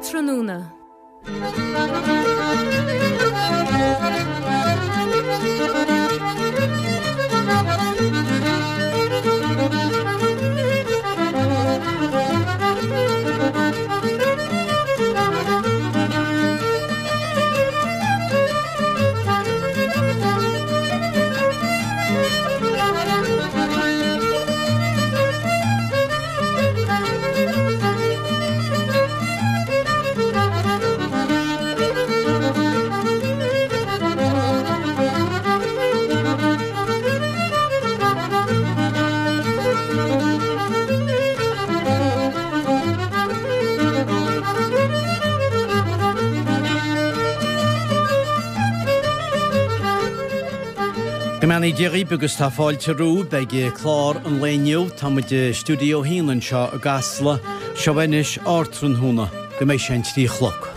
Ardtráthnóna. Go mbeannaí Dia dhaoibh agus tá fáilte romhaibh ag clár an lae inniu. Tá muid i Stiúideo 1 anseo i gCasla. Seo anois Ardtráthnóna go mbeidh sé an 3 a chlog.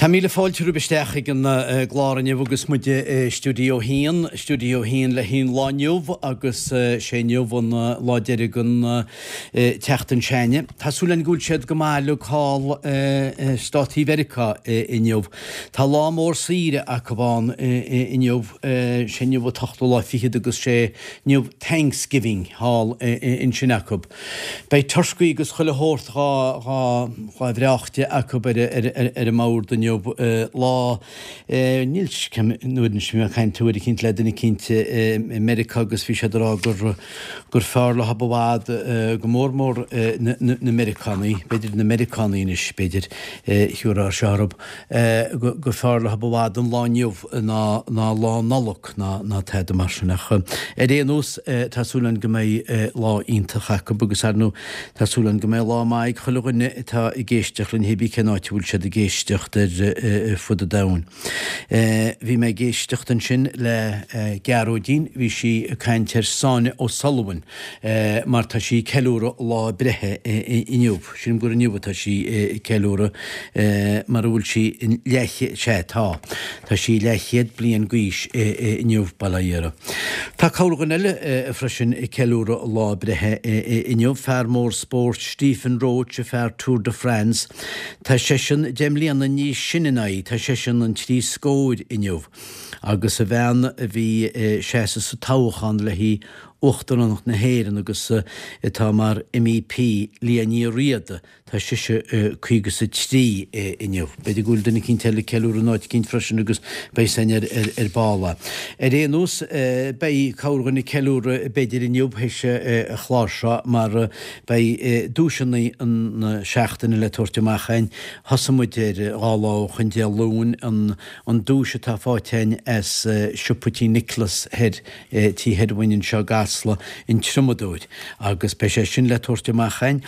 Tá míle fáilte romhaibh isteach ag an gclár inniu agus muid i Stiúideo 1, Stiúideo 1 le haghaidh an lá inniu agus sé inniu an lá deiridh den tseachtain s'againne. Tá súil againn go bhfuil siad go maith uilig thall i Státaí Mheiriceá inniu. Tá lá mór saoire acu ann inniu, sé inniu an t-ochtú lá fichead agus sé inniu Thanksgiving thall ansin acu. Beidh turcaí agus chuile shórt dhá dhá bhreách de acu ar ar an mbord inniu, lá Níl nuair anois bhí mé ag caint uair eicínt le duine eicínt i Meiriceá agus bhí siad ag rá gur gur fearr leo i bhfad go mór mór na na Meiriceánaigh, b'fhéidir na Meiriceánaigh anois b'fhéidir thiúrfá seo orthu, gur fearr leo i bhfad an lá inniu ná ná lá Nollag ná ná tada mar sin ach ar aon nós tá súil againn go mbeidh lá iontach acu agus ar ndóigh Tá súil againn go mbeidh lá maith ag chuile dhuine atá ag éisteacht linn hébí cén áit a bhfuil siad ag éisteacht ar fud an domhain. Bhí mé ag éisteacht ansin le Gearóidín, bhí sí ag caint ar Sonia O'Sullivan mar tá sí ag ceiliúradh a lá breithe inniu. Sílim gur inniu atá sí ag ceiliúradh mara bhfuil sí leathchéad, sea tá, tá sí leathchéad bliain d'aois inniu, bail ó Dhia uirthi. Tá corrdhuine eile freisin ag ceiliúradh a lá breithe inniu, fear mór spóirt Stephen Roche, fear Tour de France. Tá seisean 10 mbliana níos sine ná í, tá seisean an trí scóir inniu. Agus a bhean a bhí ag seasamh sa toghchán le haghaidh Uachtaránacht na hÉireann agus atá mar MEP, Liadh Ní Riada, Tá sise 53 inniu. B'fhéidir go bhfuil duine eicínt eile ag ceiliúradh in áit eicínt freisin agus beidh san ar ar ball. Ar aon nós, beidh corrdhuine ag ceiliúradh b'fhéidir inniu théis an chláir seo mar beidh duaiseanna na seachtaine le tabhairt amach againn. Thosaigh muid air dhá lá ó shoin Dé Luain, an an duais atá faighte againn as siopa Tí Nicholas thoir, Tí Hervin anseo i gCasla, an Triomadóir, agus beidh sé sin le tabhairt amach againn.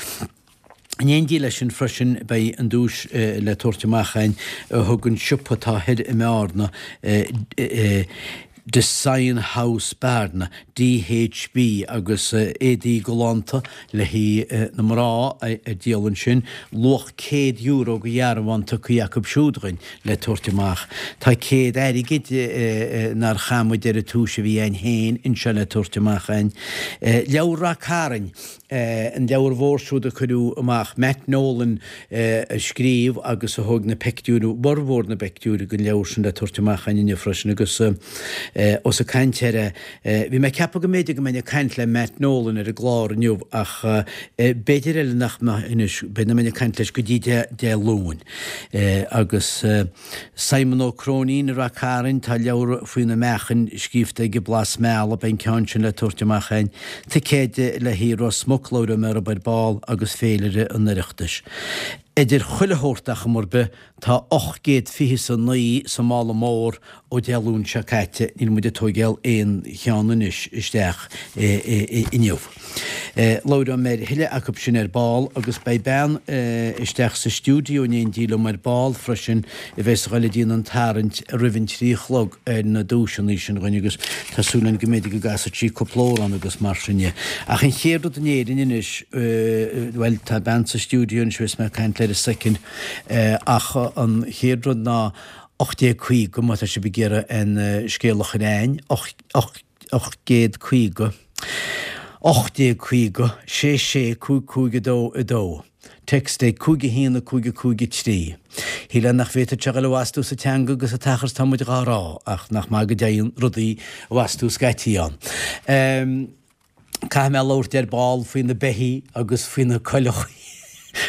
In éindí leis sin freisin beidh an duais le tabhairt amach againn a thug an siopa atá thoir i mBearna, Design House Bearna, DHB, agus éadaí galánta le haghaidh na mná ar díol ansin, luach €100 de dhearbhán tugtha acu siúd dhuinn le tabhairt amach. Tá 100 airgid nár chaith muid ar an túis a bhí againn féin anseo le tabhairt amach againn. Leabhar Rath Cairn. An leabhar mhór siúd a cuireadh amach, Matt Nolan a scríobh agus a thóg na peictiúir, bhformhór na bpeictiúir den leabhar sin le tabhairt amach againn inniu freisin agus ós ag caint air é, bhí mé ag ceapadh go mb'fhéidir go mbeinn ag caint le Matt Nolan ar an gclár inniu ach b'fhéidir eile nach mbeidh anois, b'fhéidir nach mbeinn ag caint leis go dtí Dé Luain agus. Simon Ó Cróinín i Rath Cairn, tá leabhar faoi na meáchain scríobhta aige Blas Meala, beidh an ceann sin le tabhairt amach againn. Ticéid le haghaidh Ros Muc, labhróidh mé orthub ar ball, agus féilire an Oireachtais. Idir chuile shórt ar chuma ar bith, tá 829 sa mála mór ó Dé Luain seo caite, níl muid ag tóigeáil aon cheann anois isteach inniu. Labhróidh mé ar a thuilleadh acu sin ar ball agus beidh bean isteach sa stiúideo in éindí liom ar ball freisin a bheas a ghoil ag déanamh an tarraingt roimh an 3 a chlog ar na duaiseanna sin dhuinn agus tá súil againn go mb'fhéidir go gcasfaidh sí cúpla amhrán agus mar sin dhe. Ach an chéad rud in Éirinn anois, bhuel tá bean sa stiúideo anois a bheas mé ag caint léi ar soicind ach an chéad rud ná 1850 má tá sibh ag iarraidh an scéal a chur a'ainn, 850, 1850, 6 6 5 5 2 2. Text ag 5 1 5 5 3. Shílfeá nach bhféadfadh sé a dhul i bhfastú sa teanga agus an t-achar is tá muid dhá rá, ach nach maith go dtéann rudaí i bhfastú scaití ann. Caithfidh mé labhairt ar ball faoi na beithígh agus faoi na coileachaí,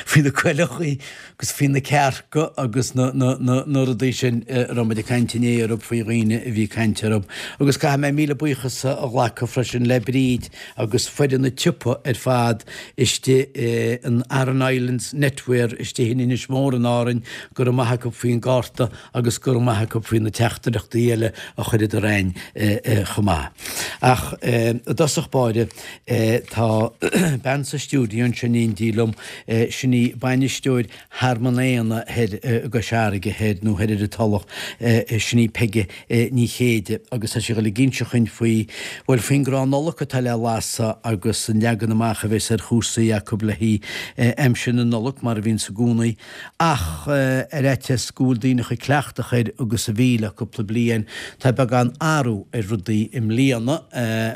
faoi na coileachaí agus faoi na cearca agus na, na, na, na rudaí sin a raibh muid ag caint inné orthu, faoi dhaoine a bhí ag caint orthu. Agus caithfidh mé míle buíochas a ghlacadh freisin le Bríd agus foireann an tsiopa ar fad istigh in Aran Islands Knitwear istigh in Inis Mór in Árainn, go raibh maith acu faoin gcárta agus go raibh maith acu faoi na teachtaireachtaí eile a chuireadar a'ainn chomh maith. Ach i dtosach báire, tá bean sa stiúideo anseo in éindí liom, sin í bainisteoir Thearmann Éanna thoir i gCois Fharraige thoir, nó thoir ar an Tulach, sin í Peige Ní Chéide, agus tá sí ag dul ag inse chuinn faoi, bhuel, faoin gcrann Nollag atá le lasadh agus an leagan amach a bheas ar chúrsaí acu le haghaidh aimsir na Nollag, mar a bhíonns i gcónaí. Ach ar fhaitíos go bhfuil daoine chomh cleachtach air agus a bhí le cúpla bliain, tá beagán athrú ar rudaí i mbliana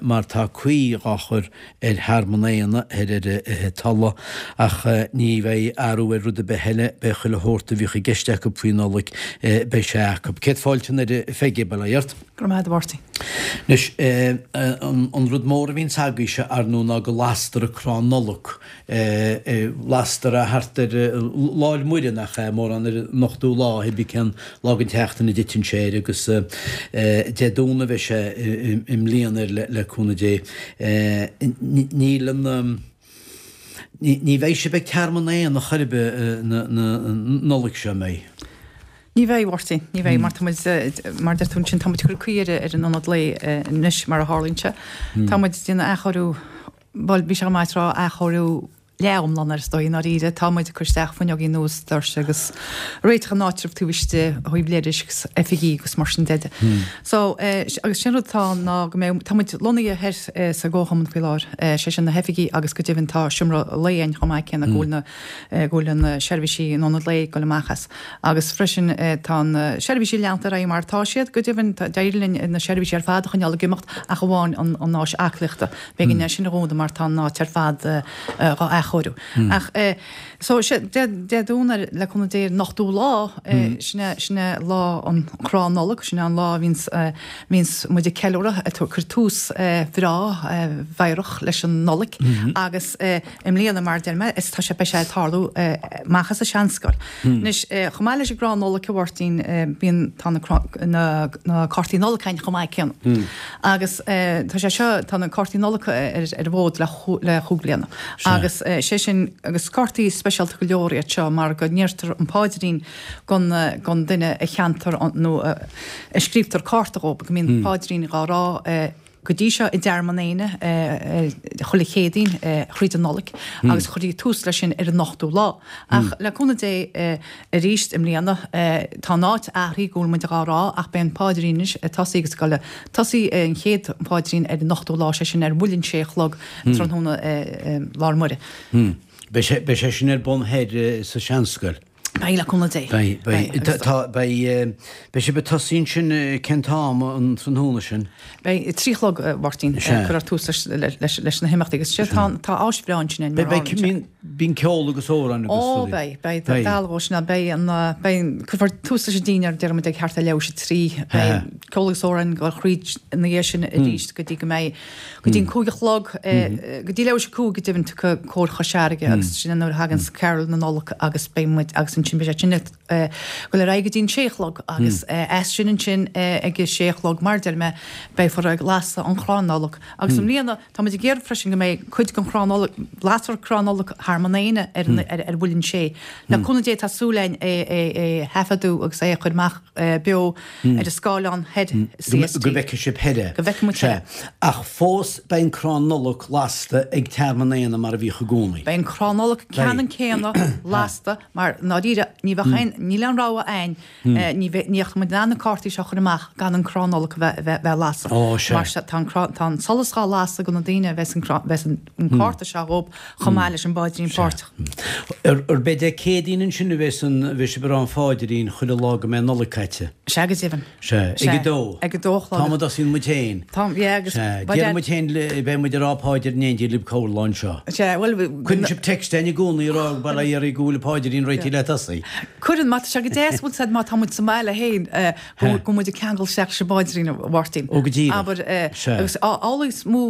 mar tá caoi dhá chur ar Thearmann Éanna thoir ar an Tulach. Ach ní bheidh athrú ar rud ar bith eile, beidh chuile shórt a bhíodh i gceist acu faoi Nollaig, beidh sé acu. Céad fáilte anoir a Pheige, bail ó Dhia ort. Go raibh maith agat a Mháirtín. Anois, an rud mór a bhíonns agaibhse, ar ndóigh, ná go lastar an crann Nollag. Lastar é thart ar Lá 'le Muire, nach ea, mórán ar an ochtú lá, cibé cén lá den tseachtain a dtiteann sé air, agus Dé Domhnaigh a bheidh sé i mbliana air le cúnamh Dé. Níl an, ní bheidh sibh ag Tearmann Éanna chor ar bith an Nollaig seo, an mbeidh? Ní bheidh, a Mháirtín, ní bheidh, mar tá muid, mar a deir tú ansin, tá muid ag cur caoi ar an ionad lae anois, mar a tharlaíonn sé. Tá muid ag déanamh athchóiriú, Bhuel, bhí sé go maith tráth athchóiriú leath-iomlán air is dóigh, i ndáiríre. Tá muid ag cur isteach fuinneogaí nua is doirse agus réiteach an áitribh taobh istigh ó thaobh leithris agus oifigí agus mar sin de. So, agus sin rud atá ann ná go mbeidh, tá muid lonnaithe thoir sa gComharchumann faoi láthair, sé sin na hoifigí agus go deimhin tá seomra lae againn chomh maith céanna go bhfuil na, go bhfuil na seirbhísí in ionad lae ag dul amach as. Agus freisin tá na seirbhísí leanta ar aghaidh mar atá siad, go deimhin d'éirigh linn na seirbhísí ar fad a choinneáil ag imeacht ach amháin an áis aclaíochta. B'éigean é sin a dhúnadh mar tá an áit ar fad dhá athchóiriú. Ach so Dé Domhnaigh le cúnamh Dé an ochtú lá, sin é sin é lá an chrann Nollag, sin é an lá a bhíonns bhíonns muid ag ceiliúradh, ag cur tús bhreá mheidhreach leis an Nollaig agus I mbliana, mar a deir mé, is tá sé, beidh sé ag tarlú amach as an Seanscoil. Anois, chomh maith leis an gcrann Nollag, a Mháirtín, bíonn, tá na, na, na cártaí Nollag againn chomh maith céanna. Agus tá sé seo, tá na cártaí Nollag ar, ar an bhfód le, le chúig bliana. Agus sé sin, agus cártaí speisialta go leor iad seo mar go ndeirtear an paidrín gon, gon duine a cheantar nó a, a scríobhtar cárta dhób, go mbíonn paidrín dhá rá Go dtí seo i dTearmann Éanna chuile Chéadaoin thríd an Nollaig agus chuirtí tús leis sin ar an ochtú lá. Ach le cúnamh Dé arís i mbliana tá an áit athraithe go bhfuil muid dhá rá ach beidh an paidrín anois ag tosaí agus ag dul tosaí an chéad phaidrín ar an ochtú lá, sé sin ar bhuille an sé a chlog tráthnóna Lá 'le Muire. Beidh sé sin ar bun thoir sa Seanscoil. Beidh, le cúnamh Dé. Beidh, beidh. Tá, beidh, beidh sibh ag tosaí ansin cén t-am an tráthnóna sin? Beidh, a trí a chlog, a Mháirtín, cuirfear tús leis, leis na himeachtaí agus sé, tá, tá áis bhreá ansin mar a tharlaíonn sé. Bíonn ceol agus amhráin agus rudaí. Ó, beidh, beidh, tá dealbh ó sin ann, beidh an, beidh, cuirfear tús leis an dinnéar, déarfaidh muid ag thart ar leathuair tar éis a trí, beidh ceol agus amhráin ag dul thríd ina dhiaidh sin arís go dtí go mbeidh, Go dtí an 5 a chlog, go dtí leathuair tar éis a 5 go deimhin tiocfaidh Cór Chois Fharraige agus sin nuair a thaganns Carol na Nollag agus beidh muid agus ansin beidh sé sin ag dul ar aghaidh go dtí an sé a chlog agus as sin ansin ag a sé a chlog mar a deir mé beifear ag lasadh an chrann Nollag agus i mbliana tá muid ag iarraidh freisin go mbeidh cuid den chrann Nollag, lasfar crann Nollag thart. Tearmann Éanna ar ar Mhuileann Sé. Le cúnamh Dé tá súil againn é a thaifeadadh agus é a chur amach beo ar an scáileán thoir i CST. Go bhfeicfidh sibh thoir é. Go bhfeicfidh muid thoir é. Ach fós beidh an crann Nollag lasta ag Tearmann Éanna mar a bhíodh i gcónaí. Beidh an crann Nollag ceannann céanna lasta mar ndáiríre ní bheadh aon, níl aon rogha againn Ní bheadh muid in ann na cártaí seo a chur amach gan an crann Nollag a bheith á lasadh. Mar sea, tá an crann, tá an solas dhá lasadh do na daoine a bheas an crann, bheas an cárta seo dhób chomh maith leis an bpáidrín páirteach. Arb é Dé Céadaoin ansin a bheas an, a bheas sibh ag rá an pháidrín chuile lá go mbeidh an Nollaig caite? Sea, go deimhin. Sea, ag a dó. Ag a dó a chlog. An t-am a dtosaíonn muid féin. Tá, yeah, agus. Sea, déarfaidh muid féin, beidh muid ag rá páidir in éindí libh corr lá anseo. Sea, bhuel. Cuireann sibh text againn i gcónaí ag rá, bail ó Dhia oraibh go bhfuil an páidrín réitithe le tosaí. Cuireann, má tá sé go deas, bhfuil 's a'd má tá muid sa mbaile féin, go bhfuil muid ag ceangal isteach leis an bpáidrín, a Mháirtín. Ó, go díreach. Abair, agus amhlaidh is mó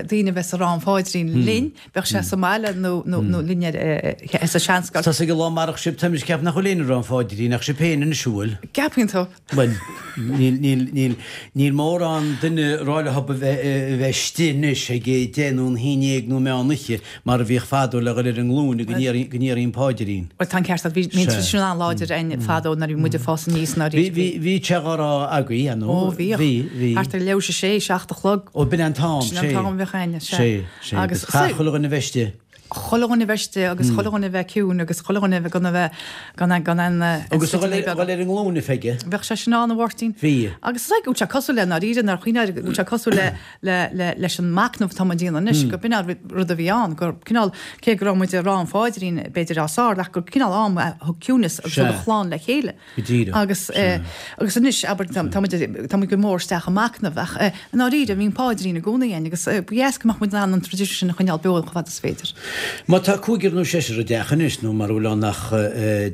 daoine a bheas ag rá an pháidrín linn, bheadh sé sa mbaile nó linn ar sa seanscoil. Tosaigh an lá amárach sibh, táimid ag ceapadh nach bhfuil éinne ag rá an pháidrín ach sibh féin anois, an bhfuil? Ceapann tú? Bhuel, níl, níl, níl, níl mórán duine ag rá leo a bheith, a bheith istigh anois ag a deich nó an haon dhéag nó meán oíche mar a bhíodh fadó le dhul ar a nglúine go ndéarfaí, go ndéarfaí an páidrín. Bhuel, tá an ceart agat. Bhí, bhí an traidisiún an-láidir againn fadó nuair a bhí muid ag fás aníos ná Bhí, bhí, bhí sé dhá rá agaibh, an Ó, bhíodh. Bhí, bhí. Thart ar leathuair tar éis a sé, seacht a chlog. Ó, b'in an t-am, sé. Sin an t-am a bheadh againn, sea. Sé, sé. Agus chaithfeadh chuile dhuine a bheith istigh. chuile dhuine a bheith istigh agus chuile dhuine a bheith ciúin agus chuile dhuine a bheith gan a bheith gan a gan an Agus a dhul ar dhul ar a nglúine Pheige. Bheadh sé sin ann a Mháirtín. Bhí. Agus is go bhfuil sé cosúil le ndáiríre nár chuimhnigh go bhfuil sé cosúil le le le leis an machnamh atá muid a dhéanamh anois go b'in an rud a bhí ann gur cineál cé go raibh muid ag rá an pháidrín b'fhéidir os ard ach gur cineál am a thug ciúnas agus thug an chlann le chéile. Go díreach. Agus agus anois, abair, tá muid tá muid go mór isteach i machnamh ach i ndáiríre bhí an páidrín i gcónaí againn agus ba dheas go mbeadh muid in ann an traidisiún sin a choinneáil beo chomh fada is féidir. Má tá cúigear nó seisear i dteach anois, nó mara bhfuil ann ach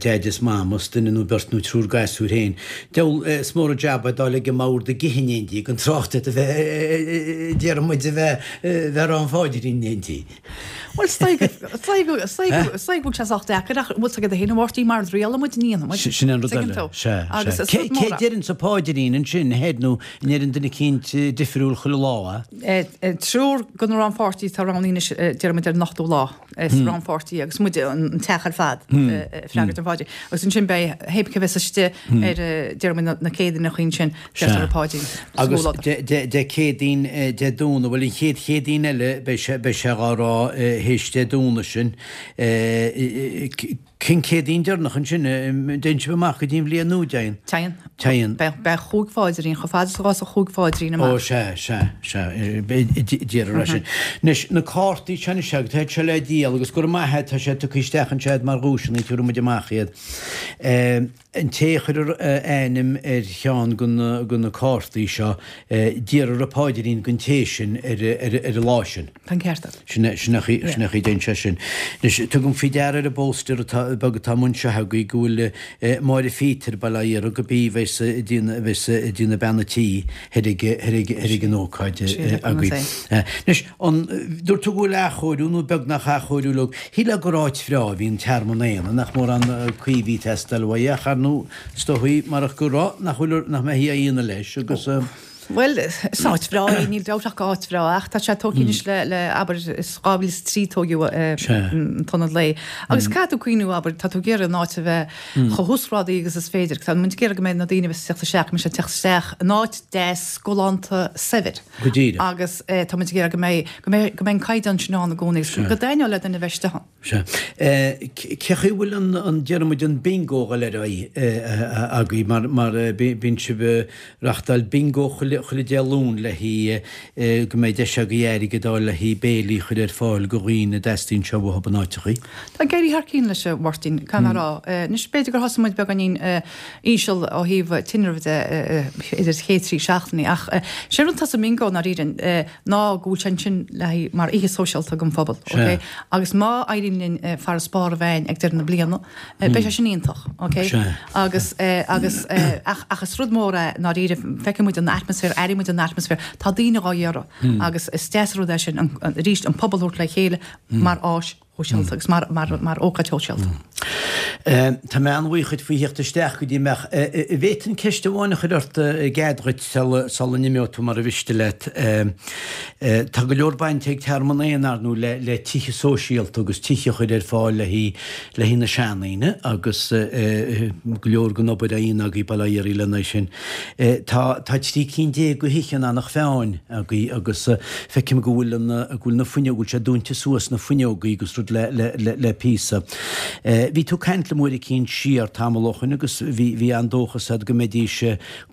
deaid is mam is duine nó beirt nó triúr gasúir féin, deabhal is mór an jab é dul ag an mbord ag ithe in éindí, gan trácht ar a bheith, déarfaidh muid, a bheith ag rá an pháidrín in éindí. Bhuel, is dóigh go bhfuil sé sách deacair ach bhfuil 's agat féin a Mháirtín mar rialaigh muid ní dhéanfaidh muid. Sin an rud eile. Sea, sea. Cé a deireann an páidrín ansin, thoir nó an ndeireann duine eicínt difriúil chuile lá é? Triúr de na rannpháirtithe atá roghnaithe anois déarfaidh muid ar an ochtú lá is rannpháirtí agus muid an teach ar fad ag freagairt an pháidrín. Agus ansin beidh hé cé bheas istigh ar déarfaidh muid na Céadaoineacha ansin. Sea. Agus Dé Céadaoin, Dé Domhnaigh, bhuel an chéad Chéadaoin eile beidh sé, beidh sé dhá rá théis Dé Domhnaigh sin. Cén Céadaoin deireanach ansin, dtéann sibh amach go dtí an bhliain nua, dtéann? Téann. Téann. Beidh, beidh chúig pháidrín, chomh fada is a ghabhfas an chúig pháidrín amach. Ó sea, sea, sea, déarfar é sin. Anois, na cártaí seo anois agus tá siad le díol agus gura maith é, tá sé tugtha isteach anseo mar dhuaiseanna, tabharfaidh muid amach iad. An té a chuirfear a ainm ar cheann de na cártaí seo, déarfar an paidrín don té sin ar an lá sin. Tá an ceart agat. Sin é an chaoi a dtéann sé sin. Anois, tugaim faoi deara ar an bpóstaer atá, beag atá amuigh anseo agaibh go bhfuil Máire Phíotair, bail ó Dhia uirthi, gurb í a bheas ag déanamh bean a' tí thoir ag an ócáid agaibh. Anois, An dúirt tú go bhfuil athchóiriú nó beagnach athchóiriú uilig? Shílfeá gur áit bhreá a bhí in Tearmann Éanna, nach mórán caoi a bhí ag teastáil uaidh ach ar ndóigh is dóichí marach go raibh, nach bhfuil, nach mbeifí á dhéanamh leis agus. Bhuel, is áit bhreá é, níl dabht ach gur áit bhreá ach tá sé tógtha anois le, le, abair, is 2003 tóigeadh an t-ionad lae. Agus caithfidh tú cuimhniú, abair, tá tú ag iarraidh an áit a bheith chomh huasghrádaithe agus is féidir. Tá muid ag iarraidh go mbeidh na daoine a bheas ag teacht isteach, go mbeidh siad ag teacht isteach in áit deas, galánta, saibhir. Go díreach. Agus tá muid ag iarraidh go mbeidh, go mbeidh, go mbeidh an caighdeán sin ann i gcónaí agus go dtaitneodh le duine a bheith istigh ann. Sea. Cé chaoi a bhfuil an, an, déarfaidh muid an bingo a dhul ar aghaidh agaibh mar, mar bíonn sibh ag reachtáil bingo chuile, chuile Dé Luain le haghaidh go mbeidh deis agaibh airgead a fháil le haghaidh béilí a chur ar fáil go dhaoine a dteastaíonn sé uathu in áiteachaí. Tá ag éirí thar cinn leis a Mháirtín, caithfidh mé a rá. Anois b'fhéidir gur thosaigh muid beagáinín íseal ó thaobh tinrimh de idir chéad 3 seachtainí ach sé rud atá sa mbingo i ndáiríre ná go bhfuil sé ansin le haghaidh mar oíche sóisialta don phobal ok agus má éiríonn linn farasbarr a bheith againn ag deireadh na bliana beidh sé sin iontach ok agus agus ach ach is rud mór é i ndáiríre feiceann muid an atmaisféar airíonn muid an atmaisféar tá daoine dhá iarraidh agus is deas an rud é sin arís an pobal a thabhairt le chéile mar áis shóisialta agus mar ócáid shóisialta. Tá mé an-bhuíoch dhuit faoi theacht isteach go dtí mé ach an bhféadfainn ceist amháin a chur ort i gcead dhuit sula n-imeoidh tú mura mhiste leat. Tá go leor bainte ag Tearmann Éanna, ar ndóigh, le tithe sóisialta agus tithe a chur ar fáil le haghaidh na seandaoine agus go leor den obair á dhéanamh agaibh bail ó Dhia oraibh lena aghaidh sin. Tá 13 cinn de thithe in Eanach Mheáin agaibh agus feicim go bhfuil an, go bhfuil na fuinneoga, go bhfuil sé dúinte suas na fuinneogaí agus rud le, le, le, le píosa. Bhí tú ag caint liom uair eicínt siar tamall ó shoin agus bhí, bhí an-dóchas agat go mbeidís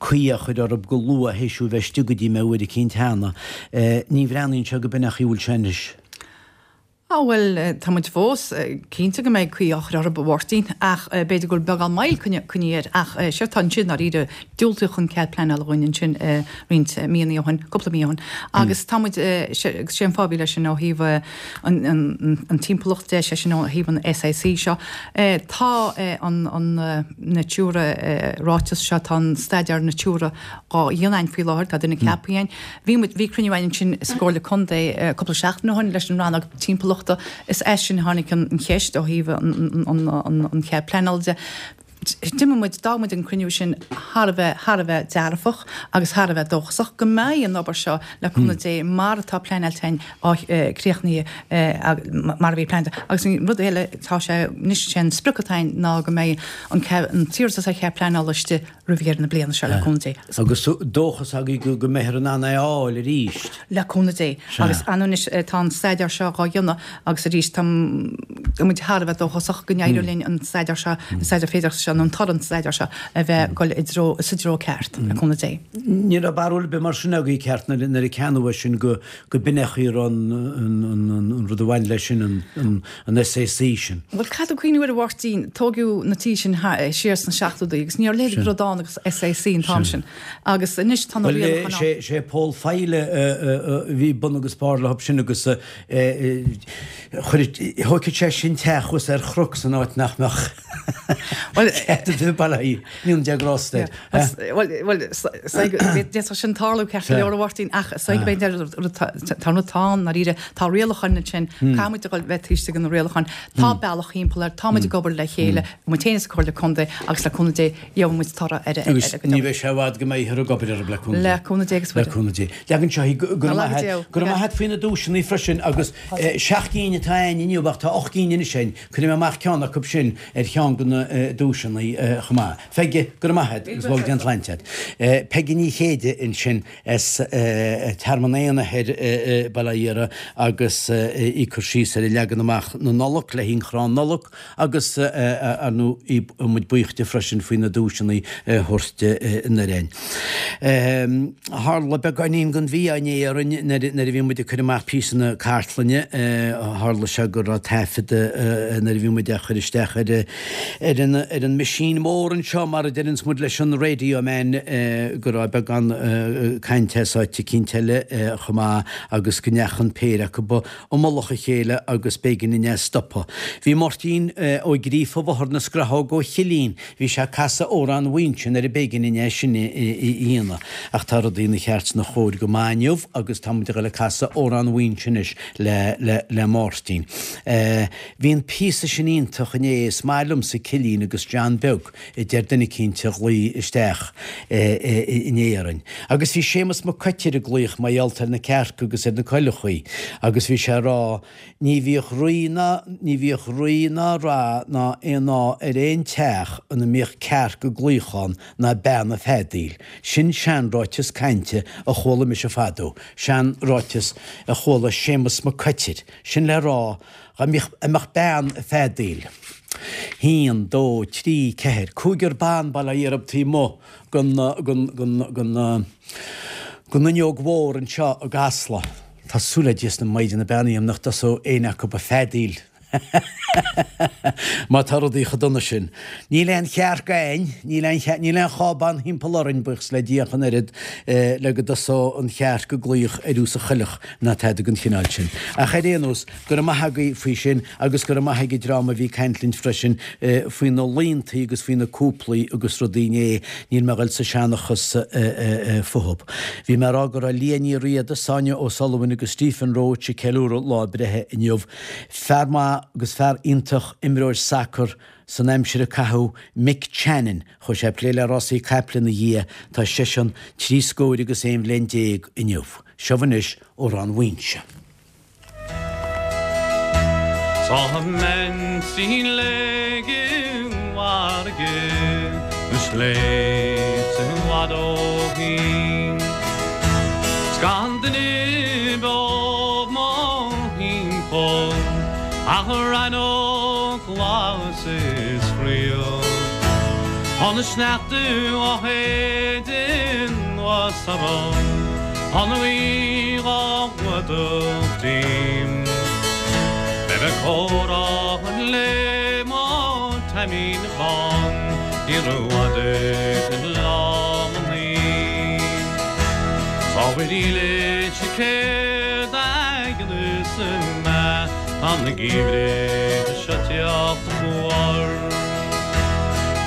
caoi á chur orthu go luath théis thú bheith istigh go dtí mé uair eicínt cheana. Ní bhreathnaíonn sé go b'in an chaoi a bhfuil sé anois. Á bhuel, tá muid fós cinnte go mbeidh caoi á chur orthu, a Mháirtín, ach b'fhéidir go bhfuil beagán moill coinnithe air. Ach séard atá ansin, dáiríre, diúltaíodh an cead pleanála dhúinn ansin roinnt míonna ó shin, cúpla mí ó shin. Agus tá muid, agus sé an fáth a bhí leis sin ó thaobh an timpeallacht de, sé sin ó thaobh an SAC seo, tá an Natura ráiteas seo, tá an staidéar Natura dhá dhéanamh againn faoi láthair, tá duine ceaptha againn. Bhí muid, bhí cruinniú againn ansin sa gComhairle Contae cúpla seachtain ó shin leis an rannóg timpeallachta. Is as sin a tháinig an cheist ó thaobh an chead pleanála de. D'imigh muid, d'fhág muid an cruinniú sin thar a bheith, thar a bheith dearfach agus thar a bheith dóchasach go mbeidh an obair seo le cúnamh Dé mar atá pleanáilte againn á críochnaithe mar a bhí pleanáilte. Agus an rud eile, tá sé, anois sé an sprioc atá againn ná go mbeidh an t-iarratas ar chead pleanála istigh roimh dheireadh na bliana seo, le cúnamh Dé. Agus dóchas agaibh go mbeifear in ann é a fháil arís. Le cúnamh Dé. Agus anois tá an staidéar seo dhá dhéanamh agus arís tá muid thar a bheith dóchasach go n-éireoidh linn an staidéar seo, an staidéar féidearthachta seo nó an toradh an staidéar seo a bheith ag dul i dtreo, sa treo ceart, le cúnamh Dé. Ní raibh barúil ar bith mar sin agaibh ceart nuair a ceannaíodh é sin go b'in é an chaoi a raibh an rud a bhain leis sin, an an SAC sin. Bhuel, caithfidh tú cuimhniú air a Mháirtín, tóigeadh na tithe sin siar sna seachtóidí agus ní raibh a leithéid de rud ann agus SAC an t-am sin. Agus anois tá na rialacháin ann. Bhuel, sé Paul File a bhí bun agus barr leo sin agus chuir, thógfadh sé sin teach thuas ar chnoc san áit nach mbeadh cead ag duine bail ó Dhia grásta air. Bhuel, d'fhéadfadh sin tarlú ceart go leor a Mháirtín, ach is dóigh go mb'fhéidir tá an rud atá ann, ndáiríre, tá rialacháin ansin, caithfidh muid a dhul bheith taobh istigh de na rialacháin, tá bealach thimpeall air, tá muid ag obair le chéile, muid féin is an Comhairle Contae agus le cúnamh Dé gheobhaidh muid toradh ar a Agus ní bheidh sé i bhfad go mbeifear ag obair orthu le cúnamh Dé. Le cúnamh Dé agus Le cúnamh Dé. Leagann seo go raibh maith agat, go raibh maith agat faoi na duaiseanna freisin agus seacht gcinn atá againn inniu ach tá ocht gcinn anois againn. Cuirfidh mé amach ceann acu sin ar cheann de na duaiseanna chomh maith. Peige, go raibh maith agat agus go bhfága Dia an tsláinte agat. Peige Ní Chéide ansin as Tearmann Éanna thoir, Baile Átha Iara agus í ag cur síos ar leagan amach na Nollag le haghaidh an chrann Nollag agus ar ndóigh muid buíoch di freisin faoi na duaiseanna a thabhairt anoir. Tharla beagáinín den mhí-ádh inné orainn nuair a bhí muid ag cur amach píosa na cartlainne. Tharla sé go raibh taifead nuair a bhí muid á chur isteach ar ar an ar an machine mór anseo, mar a deireanns muid leis an radio man, go raibh beagán cainte as áit eicínt eile chomh maith agus go ndeachaigh an péire acu i mullach a chéile agus b'éigean dúinn é a stopadh. Bhí Máirtín Ó Gríofa Bhóthar na Scrathóg ó Chillín, bhí sé ag casadh Amhrán Mhuínse nuair a b'éigean dúinn é sin a dhéanamh. Ach tá rudaí ina cheart 's ina chóir go maith inniu agus tá muid ag dul ag casadh Amhrán Mhuínse anois le le le Máirtín. Bhí an píosa sin iontach inné, is maith liomsa Cillín agus John Beag, a deir duine eicínt a ghlaoigh isteach inné orainn. Agus bhí Séamus Mac Coitir ag glaoch mar gheall ar na cearca agus ar na coileachaí agus bhí sé ag rá, Ní bhíodh rí ná ní bhíodh rí ná rath ná aon ádh ar aon teach ina mbíodh cearc ag glaoch ann ná bean ag feadaíl. Sin seanráiteas cainte a chuala mise fadó, seanráiteas a chuala Séamus Mac Coitir. Sin le rá, dá mbeadh a mbeadh bean ag feadaíl. Haon, dó, trí, ceathair, cúigear ban bail ó Dhia orthu taobh amuigh den den den den den fhuinneog mhór anseo i gCasla. Tá súil le Dia is na Maighdeana Beannaithe agam nach dtosóidh éinne acu ag feadaíl. Má tá rudaí chomh dona sin. Níl aon chearc againn, níl aon chearc, níl aon chábán thimpeall orainn, buíochas le Dia ach an oiread, le go dtosódh an chearc ag glaoch ar fhiús a choileach ná tada den chineál sin. Ach ar aon nós, go raibh maith agaibh faoi sin agus go raibh maith ag an dream a bhí ag caint linn freisin faoi na laontaí agus faoi na cúplaí agus rudaí inné, níl mé a dhul sa seanchas fúthu. Bhí mé a rá go raibh Liadh Ní Riada, Sonia O'Sullivan agus Stephen Roche ag ceiliúradh lá a breithe inniu. Fear maith. maith agus fear iontach imreoir sacair san aimsir a caitheadh Mick Channon, chuaigh sé ag plé le rásaí caiple ina dhiaidh, tá seisean trí scóir agus 11 bhliain inniu. Seo anois Amhrán Mhuínse. Tá mé léig i bhfarraige na sléibhte i bhfad ó shin. 'S gan duine beo mo thimpeall ach rannóg ghlas is fraoch. Tá na sneachta á shéideadh anuas orm. Tá an ghaoth á bhfuadach díom. Beidh mé ag comhrá le mo Taimín Bán ní rófhada lá mo naoi. Cá bhfuil leis céard a dhéanfas mé tá na geimhridh seo teacht fuar.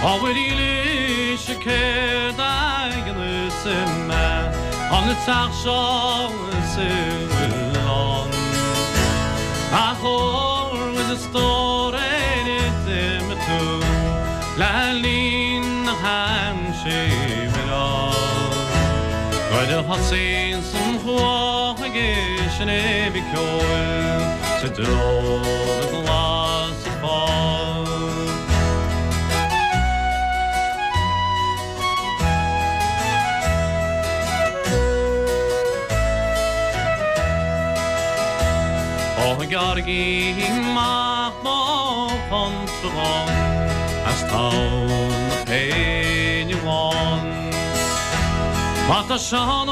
Cá bhfuil leis céard a dhéanfas mé an teach seo sa oileán. A chóir is a stór ar d'imigh tú le linn na haimsire. Nuair a thosaíonns an chuach ag seinm ceoil sa dtreo glas fáil. Ó gearraigí amach mo chuntar dhom as tonn na péine bhán. Má tá Seán Ó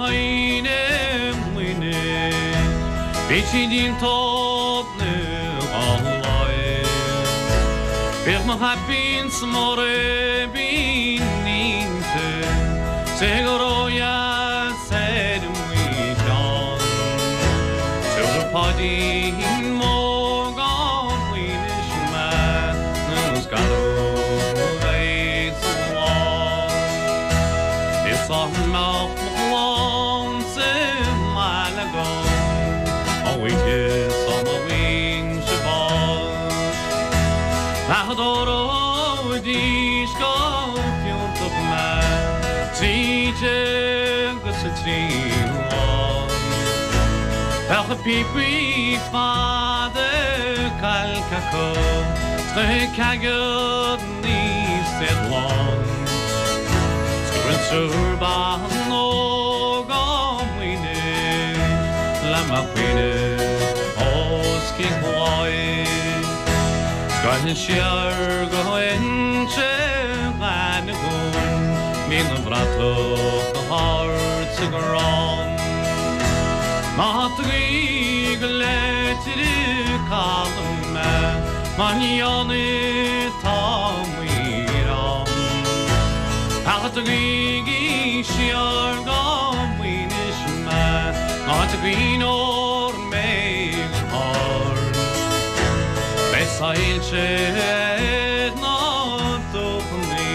hEidhin i Muinis, bhí siad iontach Bíodh mo chaipín 's mo ribín inti, 's é go ródheas ar mo cheann. Tabharfaidh Páidín Mór go Muínis mé nó is garbh a bheidh sa bhán. Is dá mbeadh mo chlann sa mbaile agam, a oíche 's á mbeinn-se bás. Adoróidís go fiúntach mé tríd agus sa tríú lá. Bheadh a píopaí fada cailce acu 's na ceaigeanna iad lán. 'S go bhfuil triúr ban óg á Muínis le mo chaoineadh os cionn cláir. Scoitheann siar go hInse Ghainmh Níl an bhratach go hard sa gcrann. Ná tagaigí go Leitir Caladh mé mar ní ann atá m'arán. Ach tagaigí siar go Muínis mé áit a gcaoineoidh mé go hard. Beidh soilse ar na dumhchannaí,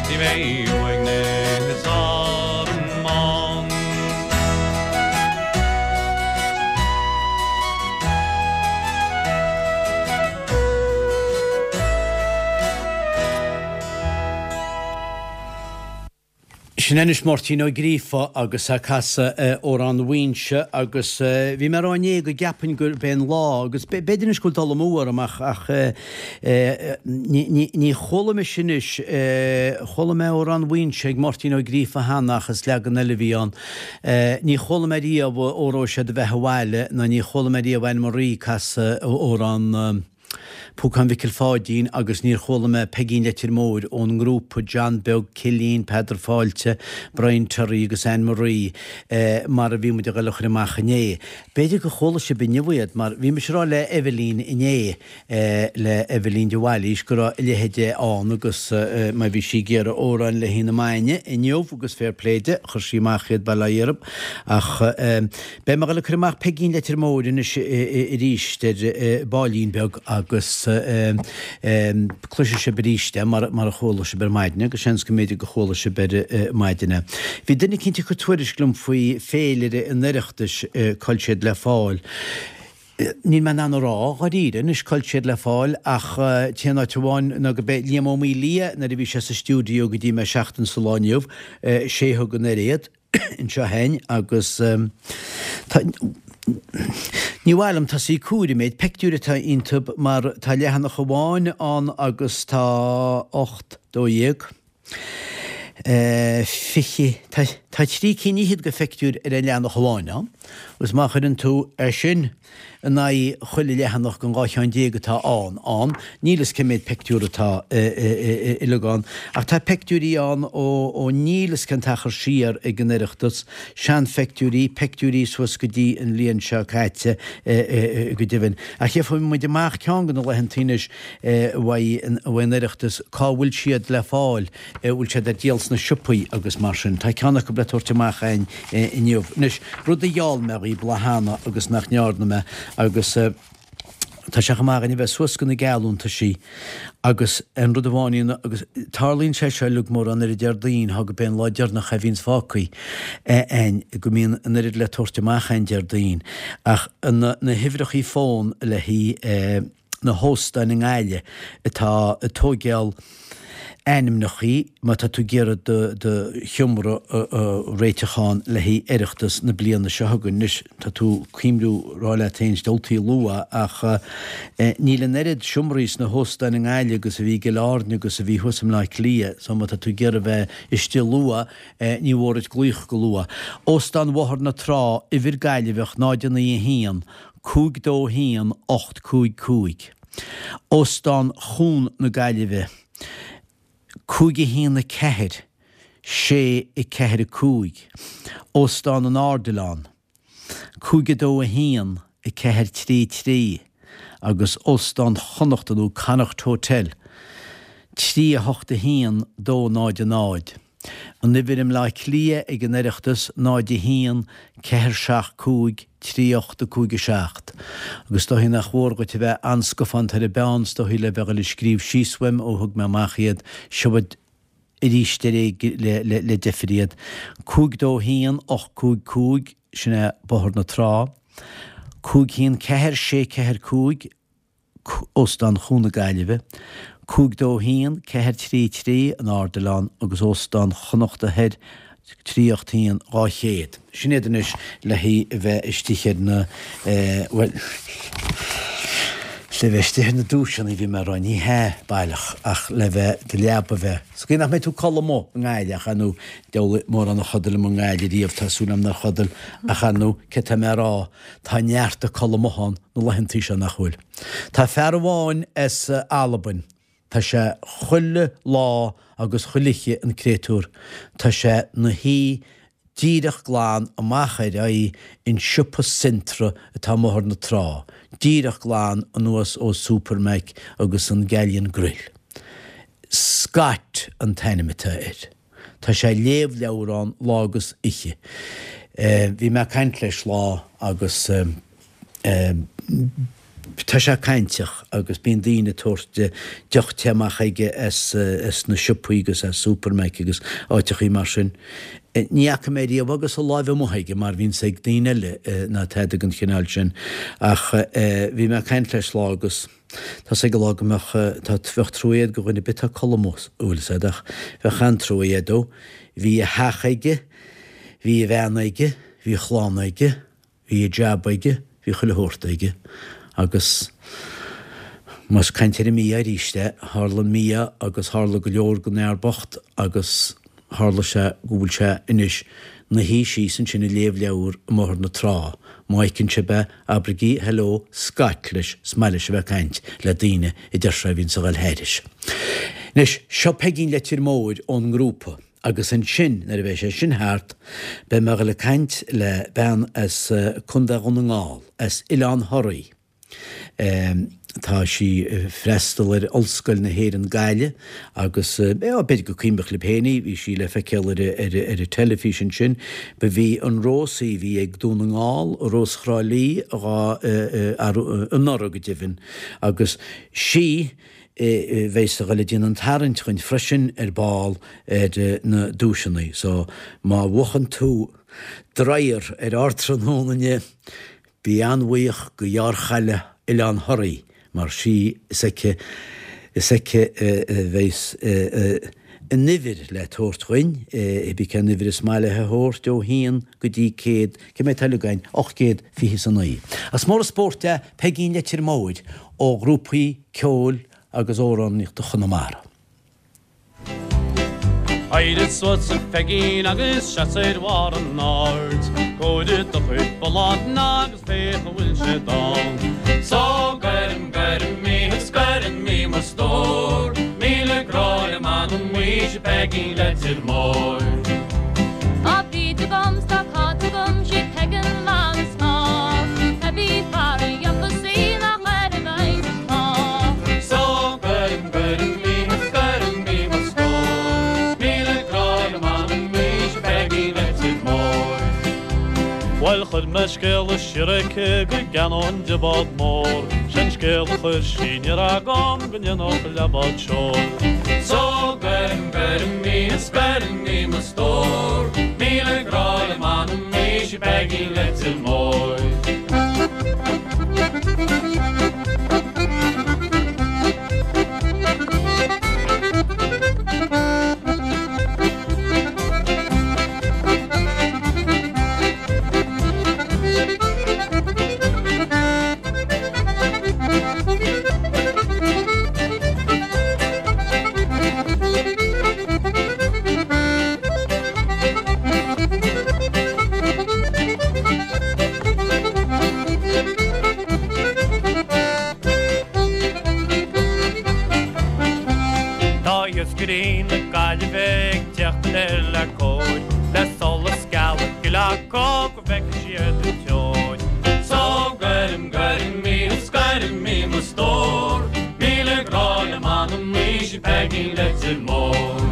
ní bheidh uaigneas orm ann. Sin anois Máirtín Ó Gríofa agus é ag casadh Amhrán Mhuínse agus bhí mé ag rá inné go gceapfainn gurb é an lá agus b'fhéidir anois go bhfuil dul amú orm ach ach ní chuala mise anois chuala mé Amhrán Mhuínse ag Máirtín Ó Gríofa cheana ach is leagan eile a bhí ann. Ní chuala mé riamh Óró Sé do Bheatha 'Bhaile ná ní chuala mé riamh Anne Marie ag casadh Amhrán Púcán Mhicil Pháidín agus níor chuala mé Peigín Leitir Móir ón ngrúpa John Beag, Cillín, Peadar Fáilte, Brian Terry agus Anne Marie mar a bhí muid a ghoil a chur amach inné. B'fhéidir gur chuala sibh inniu iad mar bhí mise ag rá le Eibhlín inné, le Eibhlín de Bhailís go raibh a leithéid ann agus má bhí sí ag iarraidh amhráin le haghaidh na maidne inniu agus fair play di, chuir sí amach iad bail ó Dhia orthu ach Beidh mé ag dul ag cur amach Peigín Leitir Móir anois arís ar baillín beag agus cloisfidh sibh arís é mar a chuala sibh ar maidin agus seans go mb'fhéidir go chuala sibh ar maidin é. Bhí duine eicínt ag cur tuairisc liom faoi féilire an Oireachtais, cá bhfuil siad le fáil. Níl mé in ann a rá, dháiríre, anois cá bhfuil siad le fáil ach t-aon áit amháin ná go b'é Liam Ó Maolaodha nuair a bhí sé sa stiúideo go dtí mé seachtain sa lá inniu, sé a thug an oiréad anseo a'inn agus tá, ní mhaith liom tosaí ag comhaireamh an méid peictiúir atá iontub mar tá leathanach amháin ann agus tá 8, 12, 20, tá trí cinn fhichead de phictiúir ar an leathanach amháin ann, agus má chuireann tú é sin in aghaidh chuile leathanach den 12 cheann atá ann, ann, níl fhios cé méad pictiúr atá uilig ann, ach tá pictiúirí ann ó níl fhios cén t-achar siar ag an Oireachtas, seanpheictiúirí, peictiúirí suas go dtí an bhliain seo caite go deimhin. Ach gheobhaidh muid amach ceann de na laethantaí anois uaidh an Oireachtas cá bhfuil siad le fáil, an bhfuil siad ar díol sna siopaí agus mar sin. Tá ceann acu le tabhairt amach againn inniu. Anois, rud a gheall mé dhaoib lá cheana agus nach ndearna mé agus tá sé chomh maith againn a bheith suas go na geallúntaisí agus an rud amháin agus tarlaíonn sé seo uilig mórán ar an Déardaoin thá go b'é an lá deireanach a bhíonns fágthaí againn go mbíonn an oiread le tabhairt amach againn Déardaoin ach na huimhreachaí fón le haghaidh na hóstáin i nGaillimh atá ag tóigeáil ainmneachaí má tá tú ag iarraidh do do sheomra a réiteach ann le haghaidh Oireachtas na bliana seo chugainn. Anois, tá tú cuimhniú rá leat féin diabhaltaí luath ach níl an oiread seomraí sna hóstáin i nGaillimh agus a bhí i gCill Airne agus a bhí thuas i mBleá Cliath so má tá tú ag iarraidh bheith istigh luath ní mhór duit glaoch go luath. Óstán Bhóthar na Trá, uimhir Gaillimheach 0 9 1, 5 2 1 8 5 5. Óstán Chuan na Gaillimhe, 5 1 4 6 4 5. Óstán an Ardilaun, 5 2 1 4 3 3 agus Óstán Chonnachta nó Connacht Hotel, 3 8 1 2 0 0. An uimhir i mBleá Cliath ag an Oireachtas 0 1 4 7 5 3 8 5 7. Agus is dóichí nach mhór dhuit a bheith an-scafánta ar an bpeann is dóichí le bheith ag dul ag scríobh síos uaim ó thug mé amach iad. Seo arís ar le le deifir iad. 5 2 1 8 5 5, sin é Bóthar na Trá. 5 1 4 6 4 5. Óstán Chuan na Gaillimhe, 5 2 1 4 3 3, an Ardilaun agus Óstán Chonnachta Thoir, 3 8 1 200. Sin iad anois le haghaidh a bheith istigh ar na, bhuel, le bheith istigh ar na duaiseanna, bhí mé a rá, ní hea baileach, ach le bheith, do leaba a bheith, sa gcaoi nach mbeidh tú ag codladh amuigh i nGaillimh ach ar ndóigh, diabhal mórán a chodail amuigh i nGaillimh riamh, tá súil agam nár chodail, ach ar ndóigh, céard tá mé a rá, Tá neart ag codladh amuigh ann na laethantaí seo, nach bhfuil? Tá fear amháin as Albain, tá sé chuile lá agus chuile oíche an créatúr, tá sé 'na shuí díreach glan amach ar aghaidh an siopa Centra atá i mBóthar na Trá, díreach glan anuas ó Supermac agus an Galleon Grill. Scott an t-ainm atá air. Tá sé ag léamh leabhrán lá agus oíche. Bhí mé ag caint leis lá agus tá sé cainteach agus bíonn daoine ag tabhairt deoch te amach aige as na siopaí agus as Supermac agus áiteachaí mar sin. Ní fhaca mé riamh agus a láimh amuigh aige mar bhíonns ag daoine eile ná tada den chineál sin ach bhí mé ag caint leis lá agus Tá's ag an lá go mbeadh, tá, bheadh trua agat do dhuine ar bith atá ag codladh amuigh, bhfuil fhios a'd, ach bheadh an-trua agat dó. Bhí a theach aige, bhí a bhean aige, bhí a chlann aige, bhí a jab aige, bhí chuile shórt aige. Agus más caint ar an mí-ádh arís é, tharla an mí-ádh agus tharla go leor don fhear bocht agus Tharla sé go bhfuil sé anois 'na shuí síos ansin ag léamh leabhar i mBóthar na Trá. Má fheiceann sibh é, abraigí Hello, Scott leis, is maith leis a bheith ag caint le daoine, a deir sé, a bhíonns a dhul thairis. Anois, seo Peigín Leitir Móir ón ngrúpa, agus ansin, nuair a bheidh sé sin thart, beidh mé a dhul ag caint le bean as Contae Dhún na nGall, as Oileán Thoraí. Tá sí ag freastal ar Ollscoil na hÉireann Gaillimh agus b'fhéidir go cuimhneach libh féin í, bhí sí le feiceáil ar ar an teilifís ansin. Ba bhí an rós í a bhí ag Dún na nGall, Rós Thrá Lí dhá anuraidh go deimhin agus sí a bheas a dhul ag déanamh an tarraingt dhuinn freisin ar ball ar na duaiseanna. So má bhuachann tú dryer ar ár tráthnóna inniu. Bí an-bhuíoch go Iár-Chailleach Oileán Thoraí mar sí is aici is aici a bheas an uimhir le tabhairt dhuinn, cibé cén uimhir is maith léi a thabhairt, ó haon go dtí 100, cé mhéad atá uilig againn? 829. Is mór an spórt é Peigín Leitir Móir ó ghrúpaí ceoil agus amhránaíochta Chonamara. Éirigh suas a Pheigín agus seas ar bharr an aird. Comhair do chuid bullán agus féach an bhfuil siad ann. So gairim, gairim í is gairim í mo stór. 1000 grá liom anam muis a Pheigín Leitir Móir. Tá bríd agam 's tá cáit agam 'sí Peigín an is mó. Pé bí fear a dhéanfas í nach air a bheidh an t-ádh. So gairim, gairim í is gairim í mo stór. 1000 grá liom anam muis a Pheigín Leitir Móir. Bhuel chuir mé scéala siar aici go gceannóinn di bád mór. Sé'n scéal a chuir sí aniar agam go ndéanfadh leathbhád seoil. So gairim, gairim í is gairim í mo stór. 1000 grá liom anam muis a Pheigín Leitir Móir. Tá iascairí na Gaillimhe ag tíocht anoir le cóir, le solas geala gile acu go bhfeicfidh siad an teoir. So gairim, gairim í is gairim í mo stór, 1000 grá liom anam muis a Pheigín Leitir Móir.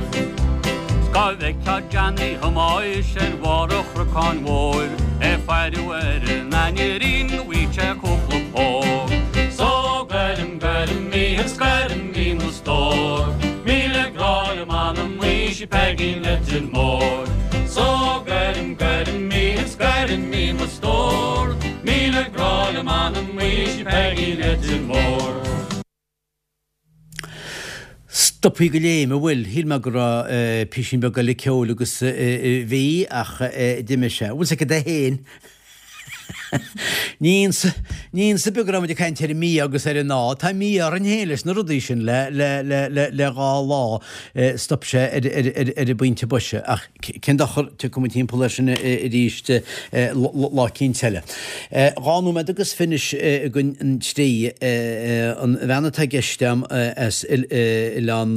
'S cá bhfeicfeá Johnny Thomáis ar bharr an Chnocáin Mhóir, é ag faire ar an ainnir go bhfaigheadh sé cúpla póg. So gairim, gairim í is gairim í mo stór, 1000 grá liom anam muis a Pheigín Leitir Móir. So gairim, gairim í is gairim í mo stór, 1000 grá liom anam muis a Pheigín Leitir Móir. Stopthaí go léim, an bhfuil? Shíl mé go raibh písín beag eile ceoil agus bhí, ach d'imigh sé. Bhfuil 's agat é féin? Ní ionsa beag go raibh muid ag caint ar an mí-ádh agus ar an ádh. Tá mí-ádh orainn féin leis na rudaí sin le le le le le dhá lá. Stop sé ar ar ar ar an bpointe boise. Ach cén dochar, tiocfaidh muid timpeall air sin arís lá eicínt eile. 12 nóiméad agus fiche anois don trí. An bhean atá i gceist agam as Oileán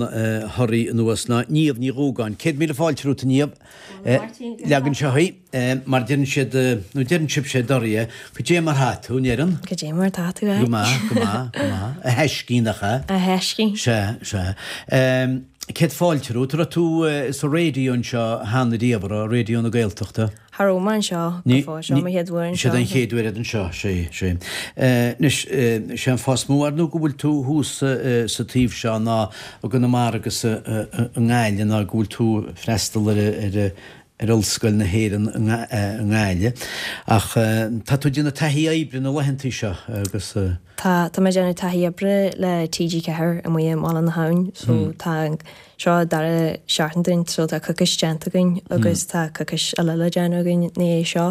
Thoraí anuas ná Niamh Ní Dhúgáin. 100,000 fáilte romhat, a Niamh. Leag anseo í, mar deireann siad, nó deireann sibhse i dToraí, Cad é mar thá tú, an ndeireann? Cad é mar tá tú, Go maith, go maith, go maith. A thaiscí, nach ea? A thaiscí. Sea, sea. Céad fáilte romhat. Raibh tú sa raidió anseo cheana riamh, an raibh, Raidió na Gaeltachta? Cha raibh mé anseo go fóill, seo mo chéad uair anseo. Sé don chéad uair anseo, sé, sé. Anois, sé an fáth is mó ar ndóigh go bhfuil tú thuas sa taobh seo ná i gConamara agus i nGaillimh ná go bhfuil tú ag freastal ar ar Ollscoil na hÉireann i nGaillimh. Ach tá tú ag déanamh taithí oibre na laethantaí seo agus. Tá, tá mé ag déanamh taithí oibre le TG4 amuigh i mBaile na hAbhann so tá seo an dara seachtain dúinn so tá coicís déanta againn agus tá coicís eile le déanamh againn ina dhiaidh seo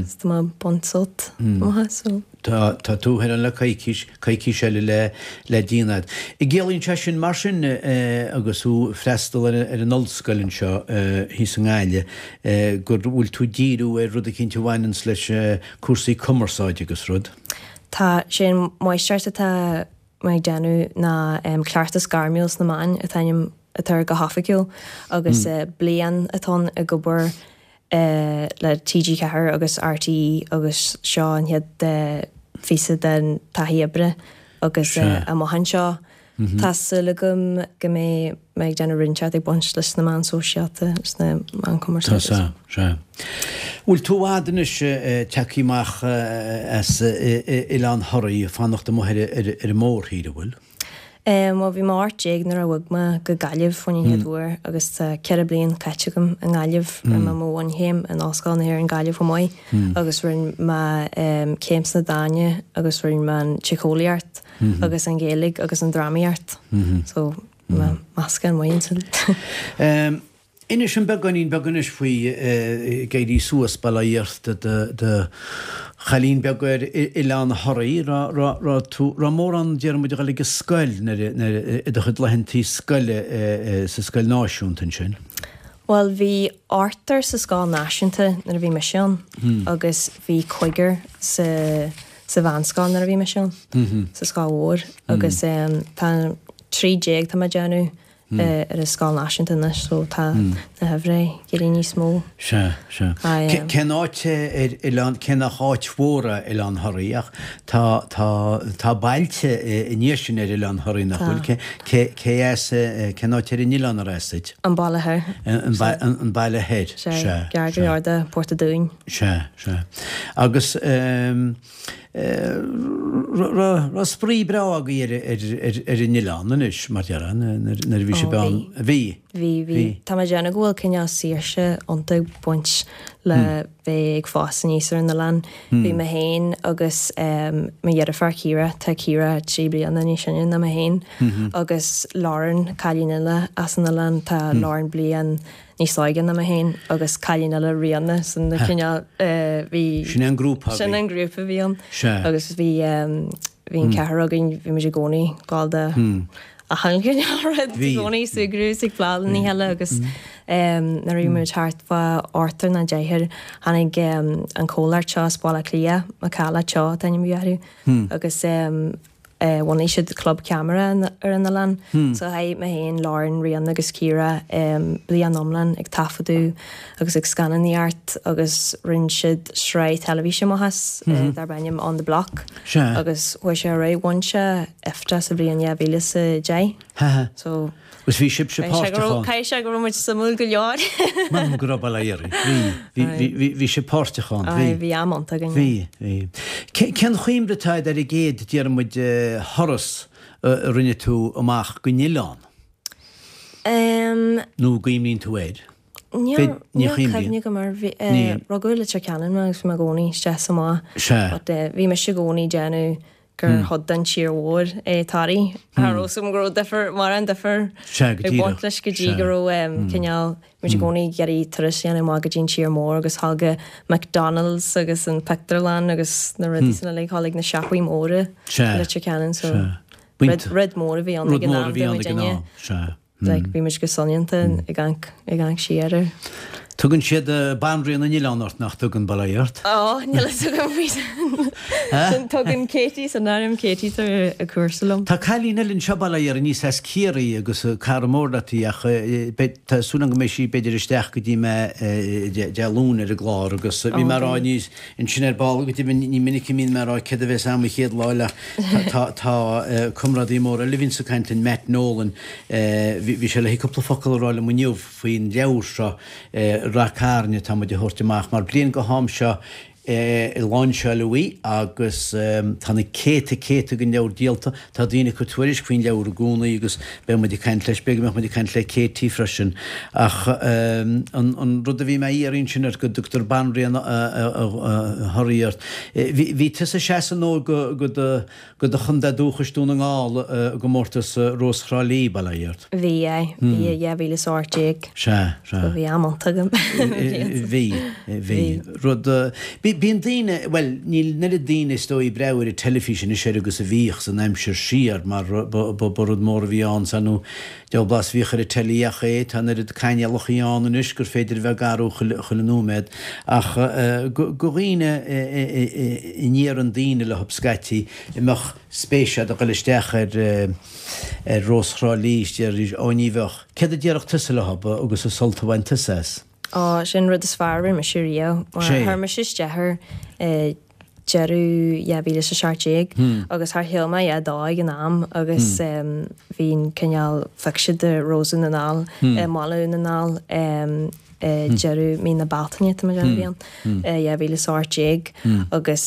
so tá mé ag baint sult amach as so. Tá, tá tú thoir ann le coicís, coicís eile le, le déanamh agat. An gciallaíonn sé sin mar sin agus thú ag freastal ar an ollscoil anseo thíos i nGaillimh go bhfuil tú ag díriú ar rud eicínt a bhaineanns leis cúrsaí cumarsáide agus rud? Tá, sé an máistreacht atá mé ag déanamh ná cleachtas gairmiúil sna meáin an t-ainm atá air go hoifigiúil agus bliain atá ann ag obair le TG4 agus RTÉ agus seo an chéad phíosa den taithí oibre agus amach anseo tá súil agam go mbeidh mé ag déanamh rud inteacht ag baint leis na meáin sóisialta, leis na meáin cumarsáide. Tá, sea, sea. Bhfuil tú i bhfad anois tagtha amach as Oileán Thoraí, ag fanacht amuigh ar an mórthír, an bhfuil? Bhuel bhí mé 18 nuair a bhog mé go Gaillimh faoin an chéad uair agus tá 4 bliain caite agam i nGaillimh. Rinne mé mo bhunchéim in Ollscoil na hÉireann Gaillimh chomh maith agus rinne mé céim sna Dána agus rinne mé an tSíceolaíocht agus an Ghaeilge agus an drámaíocht. So meascán maith ansin. Inis dom beagáinín beag anois faoi ag éirí suas bail ó Dhia ort i do chailín beag ar Oileán Thoraí. Raibh tú, raibh mórán déarfaidh muid a dhul ag an scoil nuair i do chuid laethantaí scoile sa scoil náisiúnta ansin? Bhuel bhí ochtar sa scoil náisiúnta nuair a bhí mise ann agus bhí cúigear sa sa mheánscoil nuair a bhí mise ann, sa scoil mhór agus tá 13 tá mé ag déanamh ar an scoil náisiúnta anois so tá na huimhreacha ag éirí níos mó. Sea, sea. Cén áit ar oileán, cé nach áit mhór é Oileán Thoraí ach tá, tá, tá bailte i ndiaidh sin ar Oileán Thoraí nach bhfuil? Cé, cé, cé as, cén áit ar an oileán ar as duit? An Baile Thoir. An, an Baile Thoir, sea. Sea, gar go leor de Port a' Dúin. Sea, sea. Agus eh. Raibh spraoi breá agaibh ar an oileán anois, mar déarfá, nuair a bhí sibh ann? Bhí. Bhí, bhí. Tá mé ag déanamh go bhfuil cineál saoirse iontach ag baint le bheith ag fás aníos ar an oileán. Bhí mé féin agus mo dheirfiúr Ciara, tá Ciara 3 bliana níos sine ná mé féin, agus Lauren, cailín eile as an oileán, tá Lauren bliain níos óige ná mé féin agus cailín eile Ríona sin na cineál bhí Sin é an grúpa a bhí. Sin an grúpa a bhí ann. Sea. Agus bhí bhí an ceathrar againn bhí muid i gcónaí ag gabháil do achan chineál rud i gcónaí súgradh is ag plé le nithe eile agus nuair a bhí muid thart fá ochtar nó deichniúr tháinig an comhlacht seo as Baile Átha Cliath Macalla Teo an t-ainm a bhí orthu agus Bhunaigh siad club ceamara ar an oileán. So chaith mé féin, Lauren, Ríona agus Ciara bliain iomlán ag taifeadadh agus ag scannánaíocht agus rinne siad sraith teilifíse amach as darb ainm On The Block. Agus chuaigh sé ar aghaidh, bhain sé IFTA sa bhliain 2010. So Agus bhí sibhse páirteach ann. Caithfidh sé go raibh muid suimiúil go leor. M'anam go raibh, bail ó Dhia oraibh. Bhí, bhí, bhí, bhí sibh páirteach ann. Bhí. Bhí am iontach againn. Bhí, bhí. Cén chuimhne atá agat ar an gcéad, déarfaidh muid, thuras a rinne tú amach gon oileán? Nó an gcuimhníonn tú air? Níl, níl cuimhne agam air. Bhí, rugadh i Leitir Ceanainn mé agus bhí mé i gcónaí isteach is amach. Sea. But bhí mise i gcónaí ag déanamh gur chuid den tír mhór é Toraigh. Cha raibh 's agam go raibh difear, mórán difear ag baint leis go dtí go raibh cineál, muid i gcónaí ag iarraidh turas a dhéanamh amach go dtí an tír mór agus dhul go McDonalds agus an pictiúrlann agus na rudaí sin uilig, dhul ag na siopaí móra i Leitir Ceanainn so rud mór a bhí ann ag an am do muidinne. Like, bhí muid go soineanta ag amharc, ag amharc siar air. Tugann siad Banríon na nOileán ort, nach dtugann, bail ó Dhia ort? Ó, níl a fhios agam faoi sin. Sin, tugann Katie san áireamh, Katie atá ar cúrsa liom. Tá cailín eile anseo, bail ó Dhia uirthi, aníos as Ciarraí agus cara mór leat í ach beidh, tá súil agam go mbeidh sí b'fhéidir isteach go dtí mé Dé Luain ar an gclár agus bhí mé a rá níos, Ansin ar ball, go deimhin, ní minic a mbíonn mé ag rá céard a bheas a'm an chéad lá eile ach tá tá comrádaí mór eile a bhíonns ag caint linn, Matt Nolan, bhí sé le cúpla focal a rá liom inniu faoin leabhar seo, Rath Cairn, atá muid a thabhairt amach mar bliain go ham seo lainseáileadh í agus tá na céadta céadta den leabhar díolta. Tá daoine ag cur tuairisc faoin leabhar i gcónaí agus beidh muid ag caint leis, b'fhéidir go mbeadh muid ag caint le Katie freisin. Ach an rud a bhí mé a iarraidh ansin ort, go dtugtar Banríon Thoraí ort, bhí tusa ag seasamh nó go do go do chontae dúchais Dún na nGall i gcomórtas Rós Thrá Lí, bail ó Dhia ort. Bhí, aye. Bhí i 2018. Sea, sea. So bhí am iontach agam. Bhí, bhí. Rud, bíonn daoine, bhuel, níl an oiread daoine is dóigh ag breathnú ar an teilifís anois oiread agus a bhíodh san aimsir siar mar ba rud mór a bhí ann sea nó deabhal blas a bhíodh ar an teilí ach é, tá an oiread cainéalachaí ann anois gur féidir a bheith ag athrú chuile nóiméad ach go dhaoine a ndéarann daoine leo scaití a mbeadh spéis agat a dhul isteach ar ar Rós Thrá Lí is déarfaidís, ó ní bheadh. Céard a déarfadh tusa leo agus an sult a bhain tusa as? Ó, sin an rud is fearr a rinne mise riamh. Mar chuir mise isteach air i. deireadh 2017 agus char shíl mé a dhath dó ag an am agus bhí an cineál phioc siad do Rós Dhún na nGall i mBaile Dhún na nGall i deireadh mí na Bealtaine tá mé ag déanamh a bhí ann 2018 agus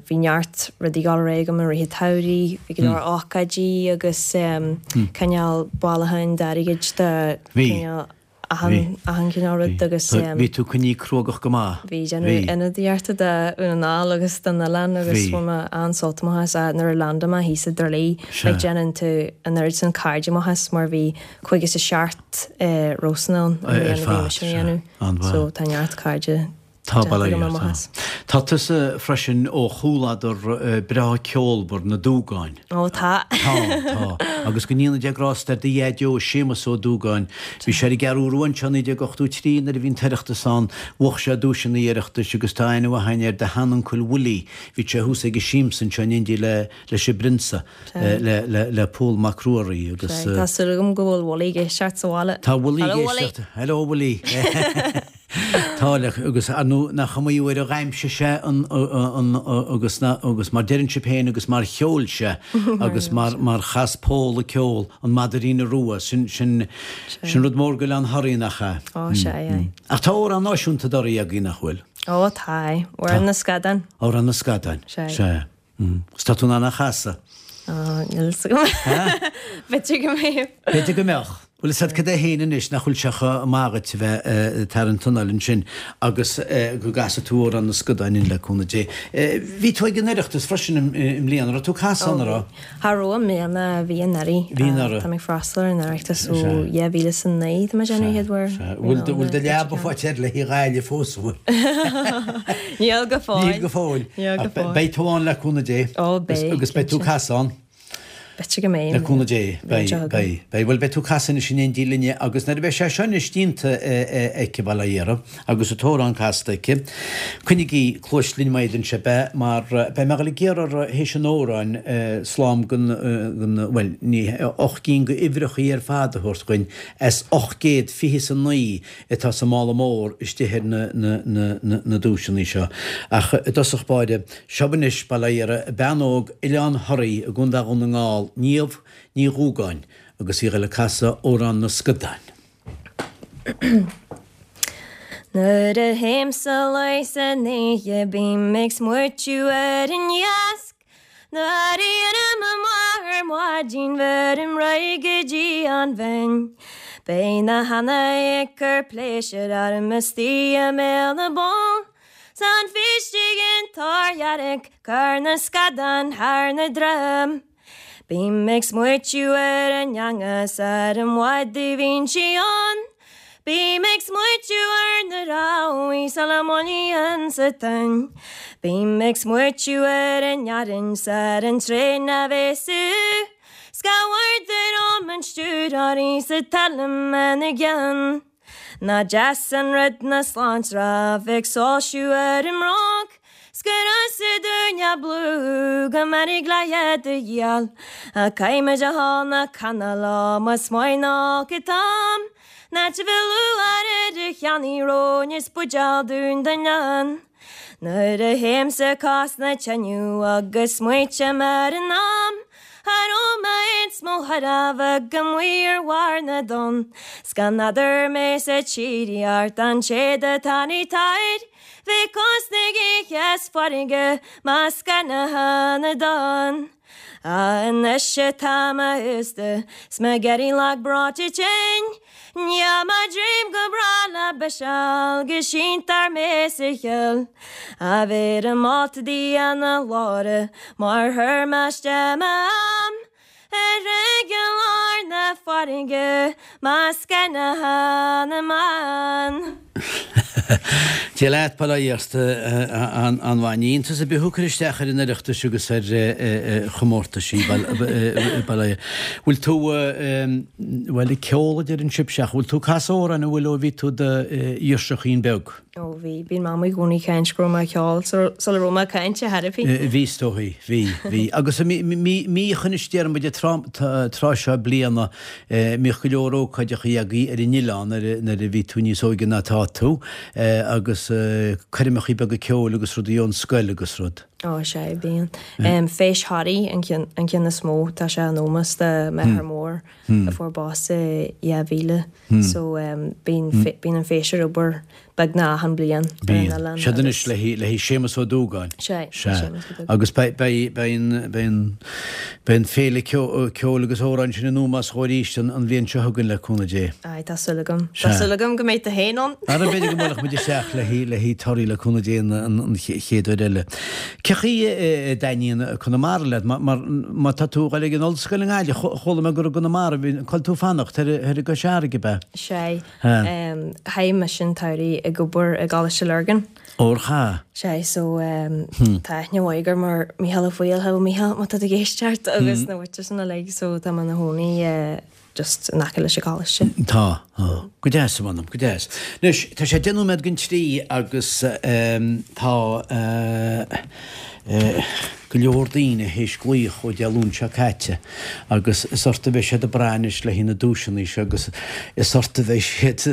bhí neart rudaí ag dul ar aghaidh agam i rith an tsamhraidh, bhí go leor ócáidí agus cineál bailiúcháin d'airgid do cineál achan achan chineál rud agus. Bhí tú coinnithe cruógach go maith. Bhí, déanamh ionadaíochta do Dhún na nGall agus don oileán agus bhain mé an-sult amach as. Nuair a landáil mé thíos i dTrá Lí, like déanann tú an oiread sin cairde amach as mar bhí 57 rósanna ann an bhliain a bhí mise á dhéanamh so tá neart cairde Tá bail ó Dhia ort, tá. Tá tusa freisin ó chúladar breá ceolmhar, na Dúgáin. Ó tá. Tá, tá. Agus go ndéana Dia grásta ar do dhaideo, Séamus Ó Dúgáin. Bhí sé ar an gCeathrú Rua anseo i 1983 nuair a bhí an tOireachtas ann. Bhuaigh sé duaiseanna an Oireachtais agus tá aithne mhaith againn ar do sheanuncail Willie. Bhí sé thuas ag an siamsa anseo in éindí le leis an bPrionsa, le le le Pól Mac Ruairí agus. Tá súil agam go bhfuil Willie ag éisteacht sa bhaile. Tá Willie ag éisteacht. Hello Willie. Tá le agus ar ndóigh nach iomaí uair a dh'aimsigh sé an an agus na agus mar deireann sibh féin agus mar cheol sé agus mar mar chas Pól a ceol an Madairine Rua sin sin sin rud mór d'Oileán Thoraí nach ea? Ó sea aye. Ach tá amhrán náisiúnta d'Thoraí againn nach bhfuil? Ó tá aye. Amhrán na Scadán. Amhrán na Scadán. Sea. Sea. Agus tá tú in ann é a chasadh? Ó, níl fhios agam. B'fhéidir go mbeadh. B'fhéidir go mbeadh. Bhuel, is a'd cad é féin anois, nach bhfuil sé chomh maith dhuit a bheith ag tarraingt anáil ansin agus go gcasfaidh tú Amhrán na Scadán linn le cúnamh Dé. Bhí tú ag an Oireachtas freisin i mbliana, raibh tú ag casadh ann, an raibh? Cha raibh i mbliana, bhí anuraidh. Bhí anuraidh. Tá mé ag freastal ar an Oireachtas ó 2009, tá mé ag déanamh an chéad uair. Bhfuil do leaba faighte le haghaidh Ghaillimh fós, an bhfuil? Níl go fóill. Níl go fóill. Níl go fóill. Beidh tú ann le cúnamh Dé. Ó, beidh. Agus beidh tú ag casadh ann. B'fhéidir go mbeidh. Le cúnamh Dé. Beidh, beidh, beidh. Bhuel, beidh tú ag casadh anois in éindí linne agus nuair a bheidh sé seo anois déanta aici, bail ó Dhia uirthi, agus an t-amhrán casta aici, coinnigí cluais linn má fhéadann sibh é, mar beidh mé ag dul ag iarraidh uirthi théis an amhráin slám den, den, bhuel, ní, 8 gcinn d'uimhreachaí ar fad a thabhairt dhuinn as 829 atá sa mála mór istigh ar na, na, na, na, na duaiseanna seo. Ach i dtosach báire, seo anois, bail ó Dhia uirthi, bean óg Oileán Thoraí i gContae Dhún na nGall, Niamh Ní Dhúgáin, agus í ag dul ag casadh Amhrán na Scadán. Nuair a théim sa luí san oíche bím ag smaoitiú ar an iasc. Nuair a éirím amach ar maidin bheirim raghaidh go dtí an bhinn. Beidh na heannaí ag cur pléisiúr orm istigh i mbéal na bpoll. 'S an bhístigh in Toirdhearc cur na scadán thar na droim. Bím ag smaoitiú ar an eangach 's ar an bhfad a bhíonn sí ann. Bím ag smaoitiú ar na rabhaidh sula mbuaileann sa toinn. Bím ag smaoitiú ar an fhearthainn 's ar an traein a bhéas sú. 'S cá bhfuair dom an stiúrthóir 's an t-ainm ina gceann. Nach deas an rud na sláinte bheith ag soilsiú ar an mbróg. 'S gur ansa dúinne blú go mbeannaigh le do dhíol. Caithfimid a thál na canála más maith nó go dtam. Ná te bheith lúcháir ar a cheannaí róin is buidéal dún don leann. Nuair a théimse cás na teineadh agus smaoitím ar an am a raibh mé ins mo tharbh amuigh ar bharr na dtonn 's gan eadar mé 's a tír an téad atá ní táir bhí cos na gaoithe 's farraige measctha na hana donn. Anois atá mé aosta 's mé ag éirí lag breoite tinn, Níl mo dhroim go breá le biseáil go síntear mé sa chill. A bheirim alt Dia na glóire mar chuir mé isteach m'am ar i lár na farraige measctha na hanamán. Dia leat, bail ó Dhia ort, an-mhaith. Ní iontas ar bith thú ag cur isteach ar an Oireachtas agus ar chomórtaisí, bail ó Dhia. Bhfuil tú, bhuel, ag ceol a deireann sibhse ach bhfuil tú ag casadh amhráin an bhfuil ó bhí tú i do ghirseachín beag? Ó bhí, bíonn Mamaí i gcónaí ag caint go raibh mé ag ceol sula raibh mé ag caint ar chor ar bith. Bhí is dóigh, bhí, bhí. Agus mbíodh anois déarfaidh muid an tráth seo bliana, mbíodh go leor ócáideachaí agaibh ar an oileán nuair a bhí tú níos óige ná atá tú agus. coirmeachaí beaga ceoil agus rudaí ón scoil agus rud. Ó, sea, bíonn. Feis Thoraí an ceann, an ceann is mó, tá sé in ómós do m'athair mór a fuair bás i 2000, so bíonn, bíonn an féis ar obair beagnach achan bliain ar an oileán. Siad anois le haghaidh Séamus Ó Dúgáin. Sea, Séamus Ó Dúgáin. Agus beidh an féile ceoil agus amhráin sin in ómós dhó arís an bhliain seo chugainn le cúnamh Dé. Aye, tá súil agam. Tá súil agam go mbeidh tú féin ann. Ara b'fhéidir go mbuailfeadh muid isteach le haghaidh Toraí le cúnamh Dé an chéad uair eile. Cé chaoi a dtaitníonn Conamara leat? Mar má tá tú ag dul ag an ollscoil i nGaillimh, chuala mé gur i gConamara a bhí, cá bhfuil tú ag fanacht, thoir i gCois Fharraige, ab ea? Sea. Chaith mise an tsamhraidh ag obair i gColáiste Lurgan. Ór cha. Sea, so tá aithne mhaith agam ar Mícheál Ó Foighil, hello Mícheál, má tá tú ag éisteacht, agus na muintir sin uilig, so tá mé ina chónaí just in aice leis an gcoláiste. Tá, tá. Go deas, a mh'anam, go deas. Anois, tá sé 10 nóiméad don trí agus tá go leor daoine théis glaoch ó Dé Luain seo caite agus is ort a bheidh siad ag brath anois le haghaidh na duaiseanna seo agus is ort a bheidh siad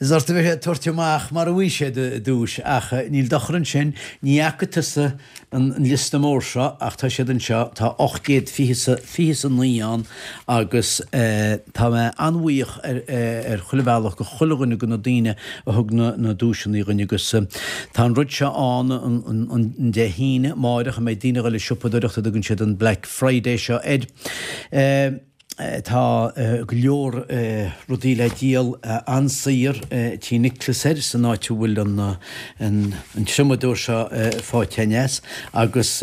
is ort a bheidh siad ag tabhairt amach mara bhfaighidh siad duais ach níl dochar ansin, ní fhaca tusa an liosta mór seo ach tá siad anseo, tá 829 ann agus tá mé an-bhuíoch ar chuile bhealach go chuile dhuine de na daoine a thug na duaiseanna dhuinn agus tá an rud seo ann an Dé hAoine, amáireach, a mbeidh daoine ag dul ag siopadóireacht a dtugann siad an Black Friday seo air. Tá go leor rudaí le díol an-saor Tí Nicholas air san áit a bhfuil an triomadóir seo faighte aneas agus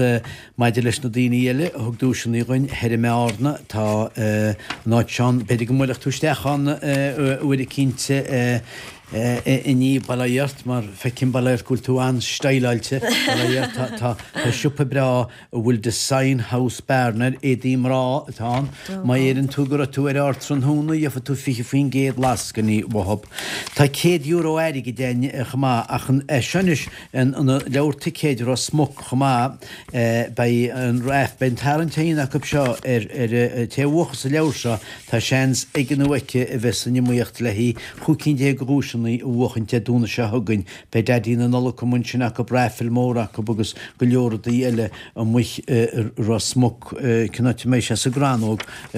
maidir leis na daoine eile a thug duaiseanna dhuinn thoir i mBearna tá an áit seo ann, b'fhéidir go mbuailfeadh tú isteach ann uair eicínt inniu, bail ó Dhia ort, mar feicim bail ó Dhia ort go bhfuil tú an-steileáilte, bail ó Dhia ort, tá siopa breá a bhfuil Design House Bearna air, éadaí mná atá ann. Má deireann tú go raibh tú ar Ardtráthnóna, gheobhaidh tú 20% lascainí uathub. Tá €100 airgid againn chomh maith, ach an é seo anois an leabhar ticéid Ros Muc chomh maith, beidh an raif, beidh an tarraingt á dhéanamh acu seo ar an té a bhuafas an leabhar seo, tá seans aige nó aici a bheith san iomaíocht le haghaidh 15 cinn de dhuaiseanna a bhuachaint Dé Domhnaigh seo chugainn. Beidh Daidí na Nollag amuigh ansin acu, raifil mór acu agus go leor rudaí eile amuigh i Ros Muc. Cén áit a mbeidh sé? Sa gCrannóg i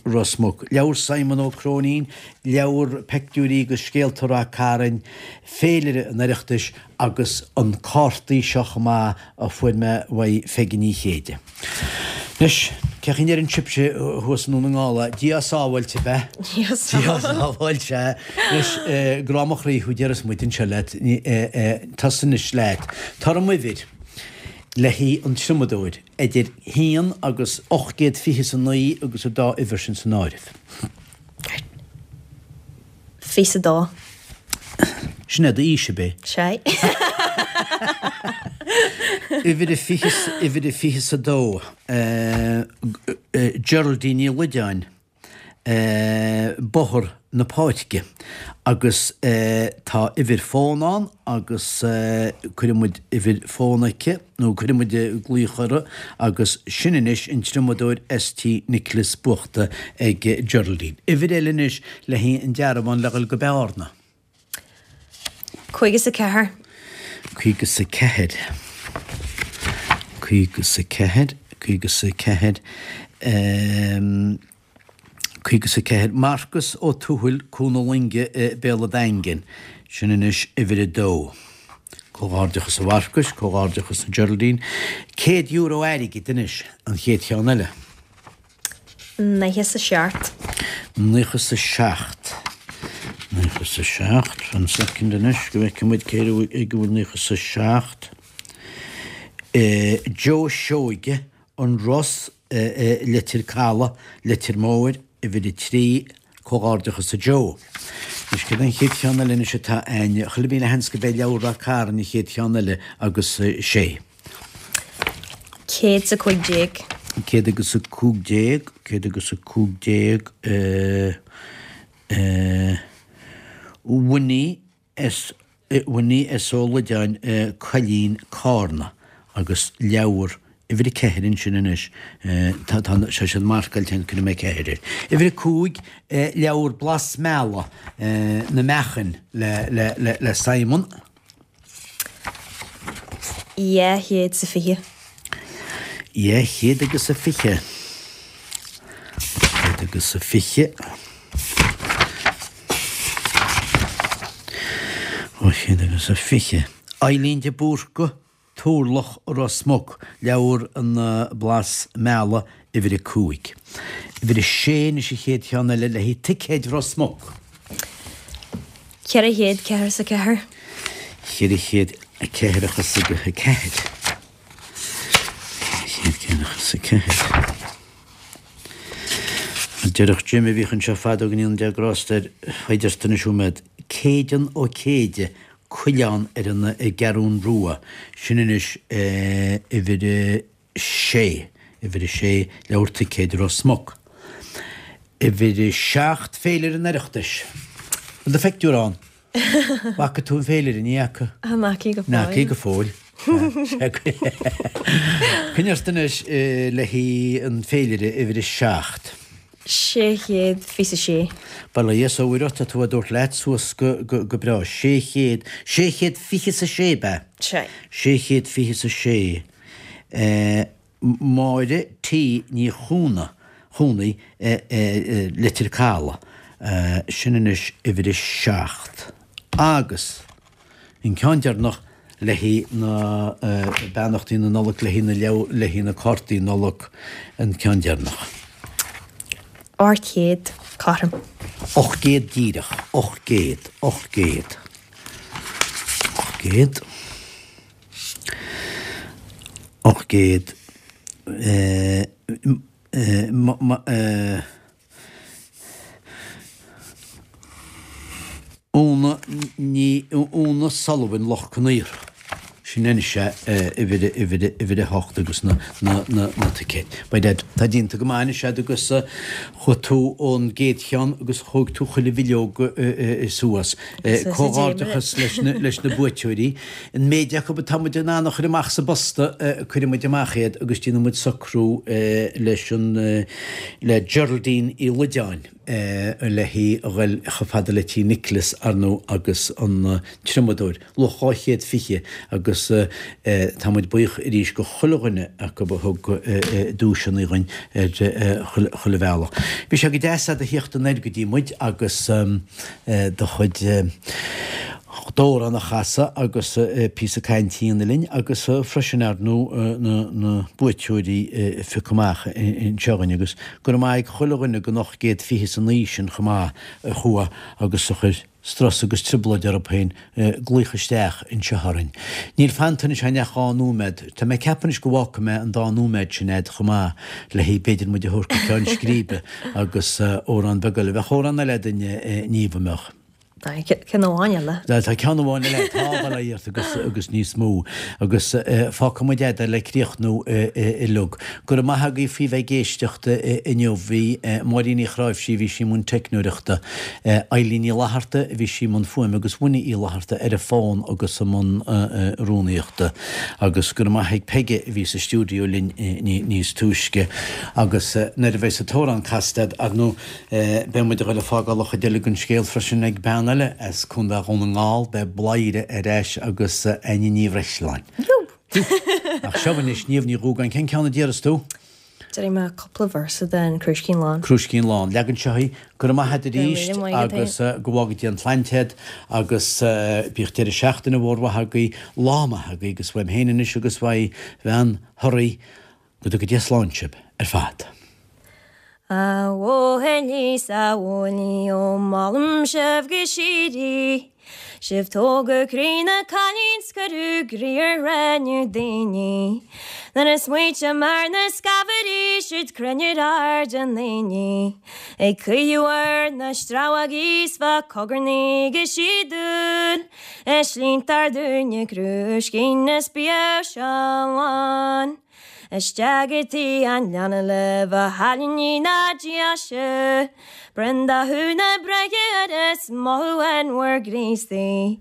Ros Muc. Leabhar Simon Ó Cróinín, leabhar peictiúirí agus scéalta Rath Cairn, féilire an Oireachtais agus an cártaí seo chomh maith a fuair mé uaidh Pheigí Ní Chéide. Anois, cé chaoi a ndeireann sibhse thuas i nDún na nGall é? Dia á sábháilt, ab ea? Dia á sábháilt, sea. Anois, grá mo chroí thú, déarfas muid anseo leat, tusa anois leat. Tabhair dhom uimhir le haghaidh an triomadóir, idir haon agus 829 agus an dá uimhir sin san áireamh. 22. Sin é d'aois, ab é? Sea. Uimhir a fiche, uimhir a 22. Geraldine Ní Loideáin, Bóthar na Páirce. Agus tá uimhir fón ann agus cuirfidh muid uimhir fón aici. nó cuirfidh muid glaoch uirthi agus sin anois an triomadóir ST Nicholas buachta ag Geraldine. Uimhir eile anois le haghaidh an dearbhán le dhul go Bearna. 54. 54. 54. 54. 54. Marcus Ó Tuathail, Cuan na Loinge i Béal a' Daingin. Sin anois uimhir a dó. Comhghairdeachas a Mharcais, comhghairdeachas a Geraldine. €100 airgid anois, an chéad cheann eile. 97. 97. 97. Fan soicind anois go bhfeicfidh muid cé ag a bhfuil 97. Joe Seoige, An Ros, Leitir Caladh, Leitir Móir, uimhir 3, Comhghairdeachas a Joe. Anois céard é an chéad cheann eile anois atá a'ainn? Chuile mhíle sheans go b'é leabhar Rath Cairn an chéad cheann eile agus sé. 115. 115, 115, eh, Winnie S. Winnie S. Ó Loideáin, Coillín, Cárna agus leabhar. Uimhir 4 ansin anois. Tá tá sé siad marcáilte ann, cuirfidh mé 4 air. Uimhir 5, leabhar Blas Meala, Na Meachain le le le le Simon. 220. 220. 220. 220. Eileen de Búrca. Turlach Ros Muc, leabhar an Blas Meala, uimhir 5. Uimhir 6 anois an chéad cheann eile le haghaidh ticéid Ros Muc. 444. 444. 444. Déarfadh Jim a bhíodh anseo fadó go ndéana Dia grásta air, faigh ort anois uaim iad, Céideann Ó Céide, Coileán ar an gCeathrún Rua, sin anois uimhir a sé, uimhir a sé, leabhar ticéid Ros Muc. Uimhir a 7, Féilire an Oireachtais. Bhfuil do phictiúr ann? Bhfaca tú an féilire? Ní fhaca. An fhaca go fóill. Ní fhaca go fóill. Coinnigh ort anois le haghaidh an féilire uimhir a 7. 626. Bail ó Dhia is ó Mhuire ort, tá tú á dtabhairt leat suas go breá. 600, 626 ab ea? Sea. 626. Máire T. Ní Chúna, Chúnaigh, Leitir Caladh. Sin anois uimhir a 7. Agus an ceann deireanach le haghaidh na beannachtaí na Nollag, le haghaidh na leabhar, le haghaidh na cártaí Nollag, an ceann deireanach. 800 cothrom. 800 díreach. 800. 800. 800. 800. Úna Ní Úna Sullivan Loch Con Aortha. Sin anois é uimhir uimhir uimhir 8 agus na na na na ticéid. By dad, tá déanta go maith anois a'd agus chuaigh tú ón gcéad cheann agus chuaigh tú chuile bhileog suas. Comhghairdeachas leis na leis na buaiteoirí. An méid acu atá muid in ann a chur amach sa bposta, cuirfidh muid amach iad agus déanfaidh muid socrú leis an, le Geraldine Uí Loideáin le hí a ghoil chomh fada le tí Nicholas, ar ndóigh, agus an triomadóir, luach 220 agus tá muid buíoch arís go chuile dhuine acu a thug duaiseanna dhuinn ar chuile bhealach. Bhí sé go deas a'd a thíocht anoir go dtí muid agus do chuid d'amhrán a chasadh agus píosa cainte a dhéanamh linn agus freisin ar ndóigh na buaiteoirí a phiocadh amach anseo againn agus go raibh maith ag chuile dhuine den 829 sin chomh maith a chuaigh agus a chuir strus agus trioblóid orthu féin glaoch isteach anseo orainn. Níl fanta anois againn ach dhá nóiméad. Tá mé ag ceapadh anois go bhfágfaidh mé an dá nóiméad sin a'd chomh maith le haghaidh b'fhéidir muid a thabhairt go ceann scríbe agus amhrán beag eile. Bheadh amhrán eile a'd Niamh, an mbeadh? Tá ceann amháin eile. Tá ceann amháin eile, tá, bail ó Dhia ort agus, agus níos mó. Agus fágfaidh muid a'd le críochnú uilig. Go raibh maith agaibh faoi bheith ag éisteacht inniu. Bhí Máirín Uí Chráimhsí, bhí sí i mbun teicneoireachta. Eileen Ní Fhlatharta, bhí sí i mbun fuaime agus Winnie Uí Fhlatharta ar an bhfón agus i mbun rúnaíochta. Agus go raibh maith ag Peige a bhí sa stiúideo linn níos túisce. Agus nuair a bheas an t-amhrán casta a'd, ar ndóigh, Beidh muid a ghoil ag fágáil an chuid eile den scéal freisin ag bean eile as Contae Dhún na nGall, beidh Bladhaire ar ais agus Áine Ní Bhreisleáin. Ach seo anois Niamh Ní Dhúgáin, cén ceann a d'iarras tú? Déarfaidh mé cúpla véarsa den Crúiscín Lán. Crúiscín Lán. Leagan seo í. Go raibh maith agat arís agus go bhfága Dia an tsláinte a'd agus bíodh deireadh seachtaine mhór mhaith agaibh, lá maith agaibh agus uaim féin anois agus uaidh bhean Thoraí Go dtuga Dia slán sibh ar fad. A bhuachaillí 's a bhuachaillí ó molaim sibh go síoraí Sibh tógadh croí na cailín 's cuireadh groí ar ghráinne daoine Nuair a smaoitím ar na scabhairí siúd cruinn ar aird an aonaigh Ag caoineadh ar na stramhógaí 's fá cogarnaigh go síodúil I slinnte ár dúine crúiscín is bíodh seo lán. Isteach i dtigh an leanna libh a chailíní na deise. Bronn dathú na breithe air is mothú an bhur gCríostaí.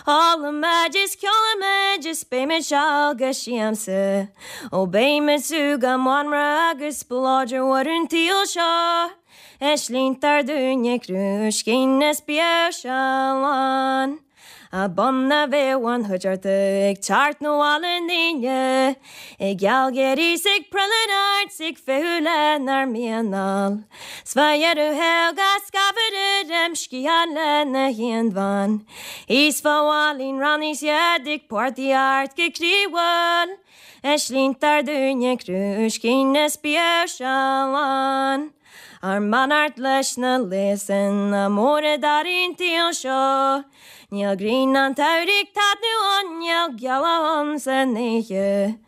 Ólfaimid is ceolfaimid is beimid seal go siamsa. Ó beimid sú go mbanra agus spleodar mhór an tsaoil seo. Is líontar dúinne crúiscín is bíodh seal ann. A bun a bheadh an chuideachta ag teacht 'na bhaile n'aoine, ag gealgháirí 's ag prilleadh ort 's ag feitheamh lenár mianal. 'S fá dheireadh thiar go scabhar ar im sciathán lena haonbhean, Is fá mháilín ránaí 's iad ag portaíocht go croíúil, Is líontar dúinne crúiscín is bíodh seal ann. Ár mbeannacht leis na léasanna móra d'fhearaí an tsaoil seo. Níl grian an tsamhraidh ag taitneamh ann, níl gealach ann san oíche.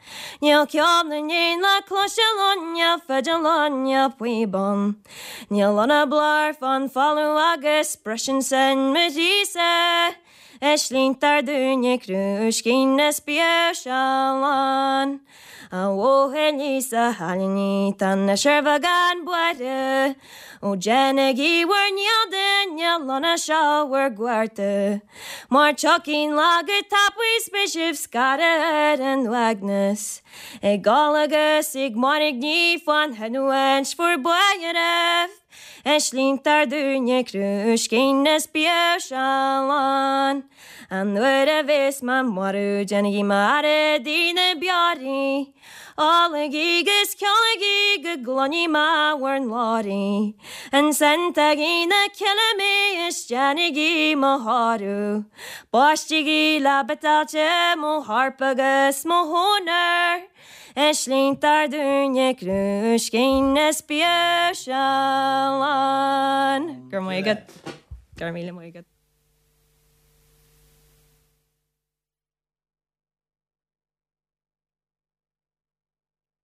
Níl ceol na n-éan le cloisteáil ann, níl fidil ann, níl píob ann. Níl ann ach blár fán bhfolamh agus briseann sin mo chroí-sa. Is líontar dúinne crúiscín is bíodh seal ann. A bhuachaillí 's a chailíní tá anois ar bheagán buartha. Ó déanaigí bhur ndícheall don lonna seo bhur gcuartú. Mar tiocfaidh an lá go tapaidh 's beidh sibh scartha ar an uaigneas. Ag gol agus ag mairgní fán chinniúint bhur bpáirbh. Is líontar dúinne crúiscín is bíodh seal ann. An uair a bheas mé marbh déanaigí m'fhaire i dTigh na Bioraí. Ólaigí 'gus ceolaigí go gcluinfidh mé bhur nglóraí. Ansan tógaigí 'na cille mé is déanaigí mo thórramh. Baistigí le biotáilte mo chorp agus mo chónair. Is líontar dúinne crúiscín is bíodh seal ann. Go raibh maith agat. Go raibh míle maith agat.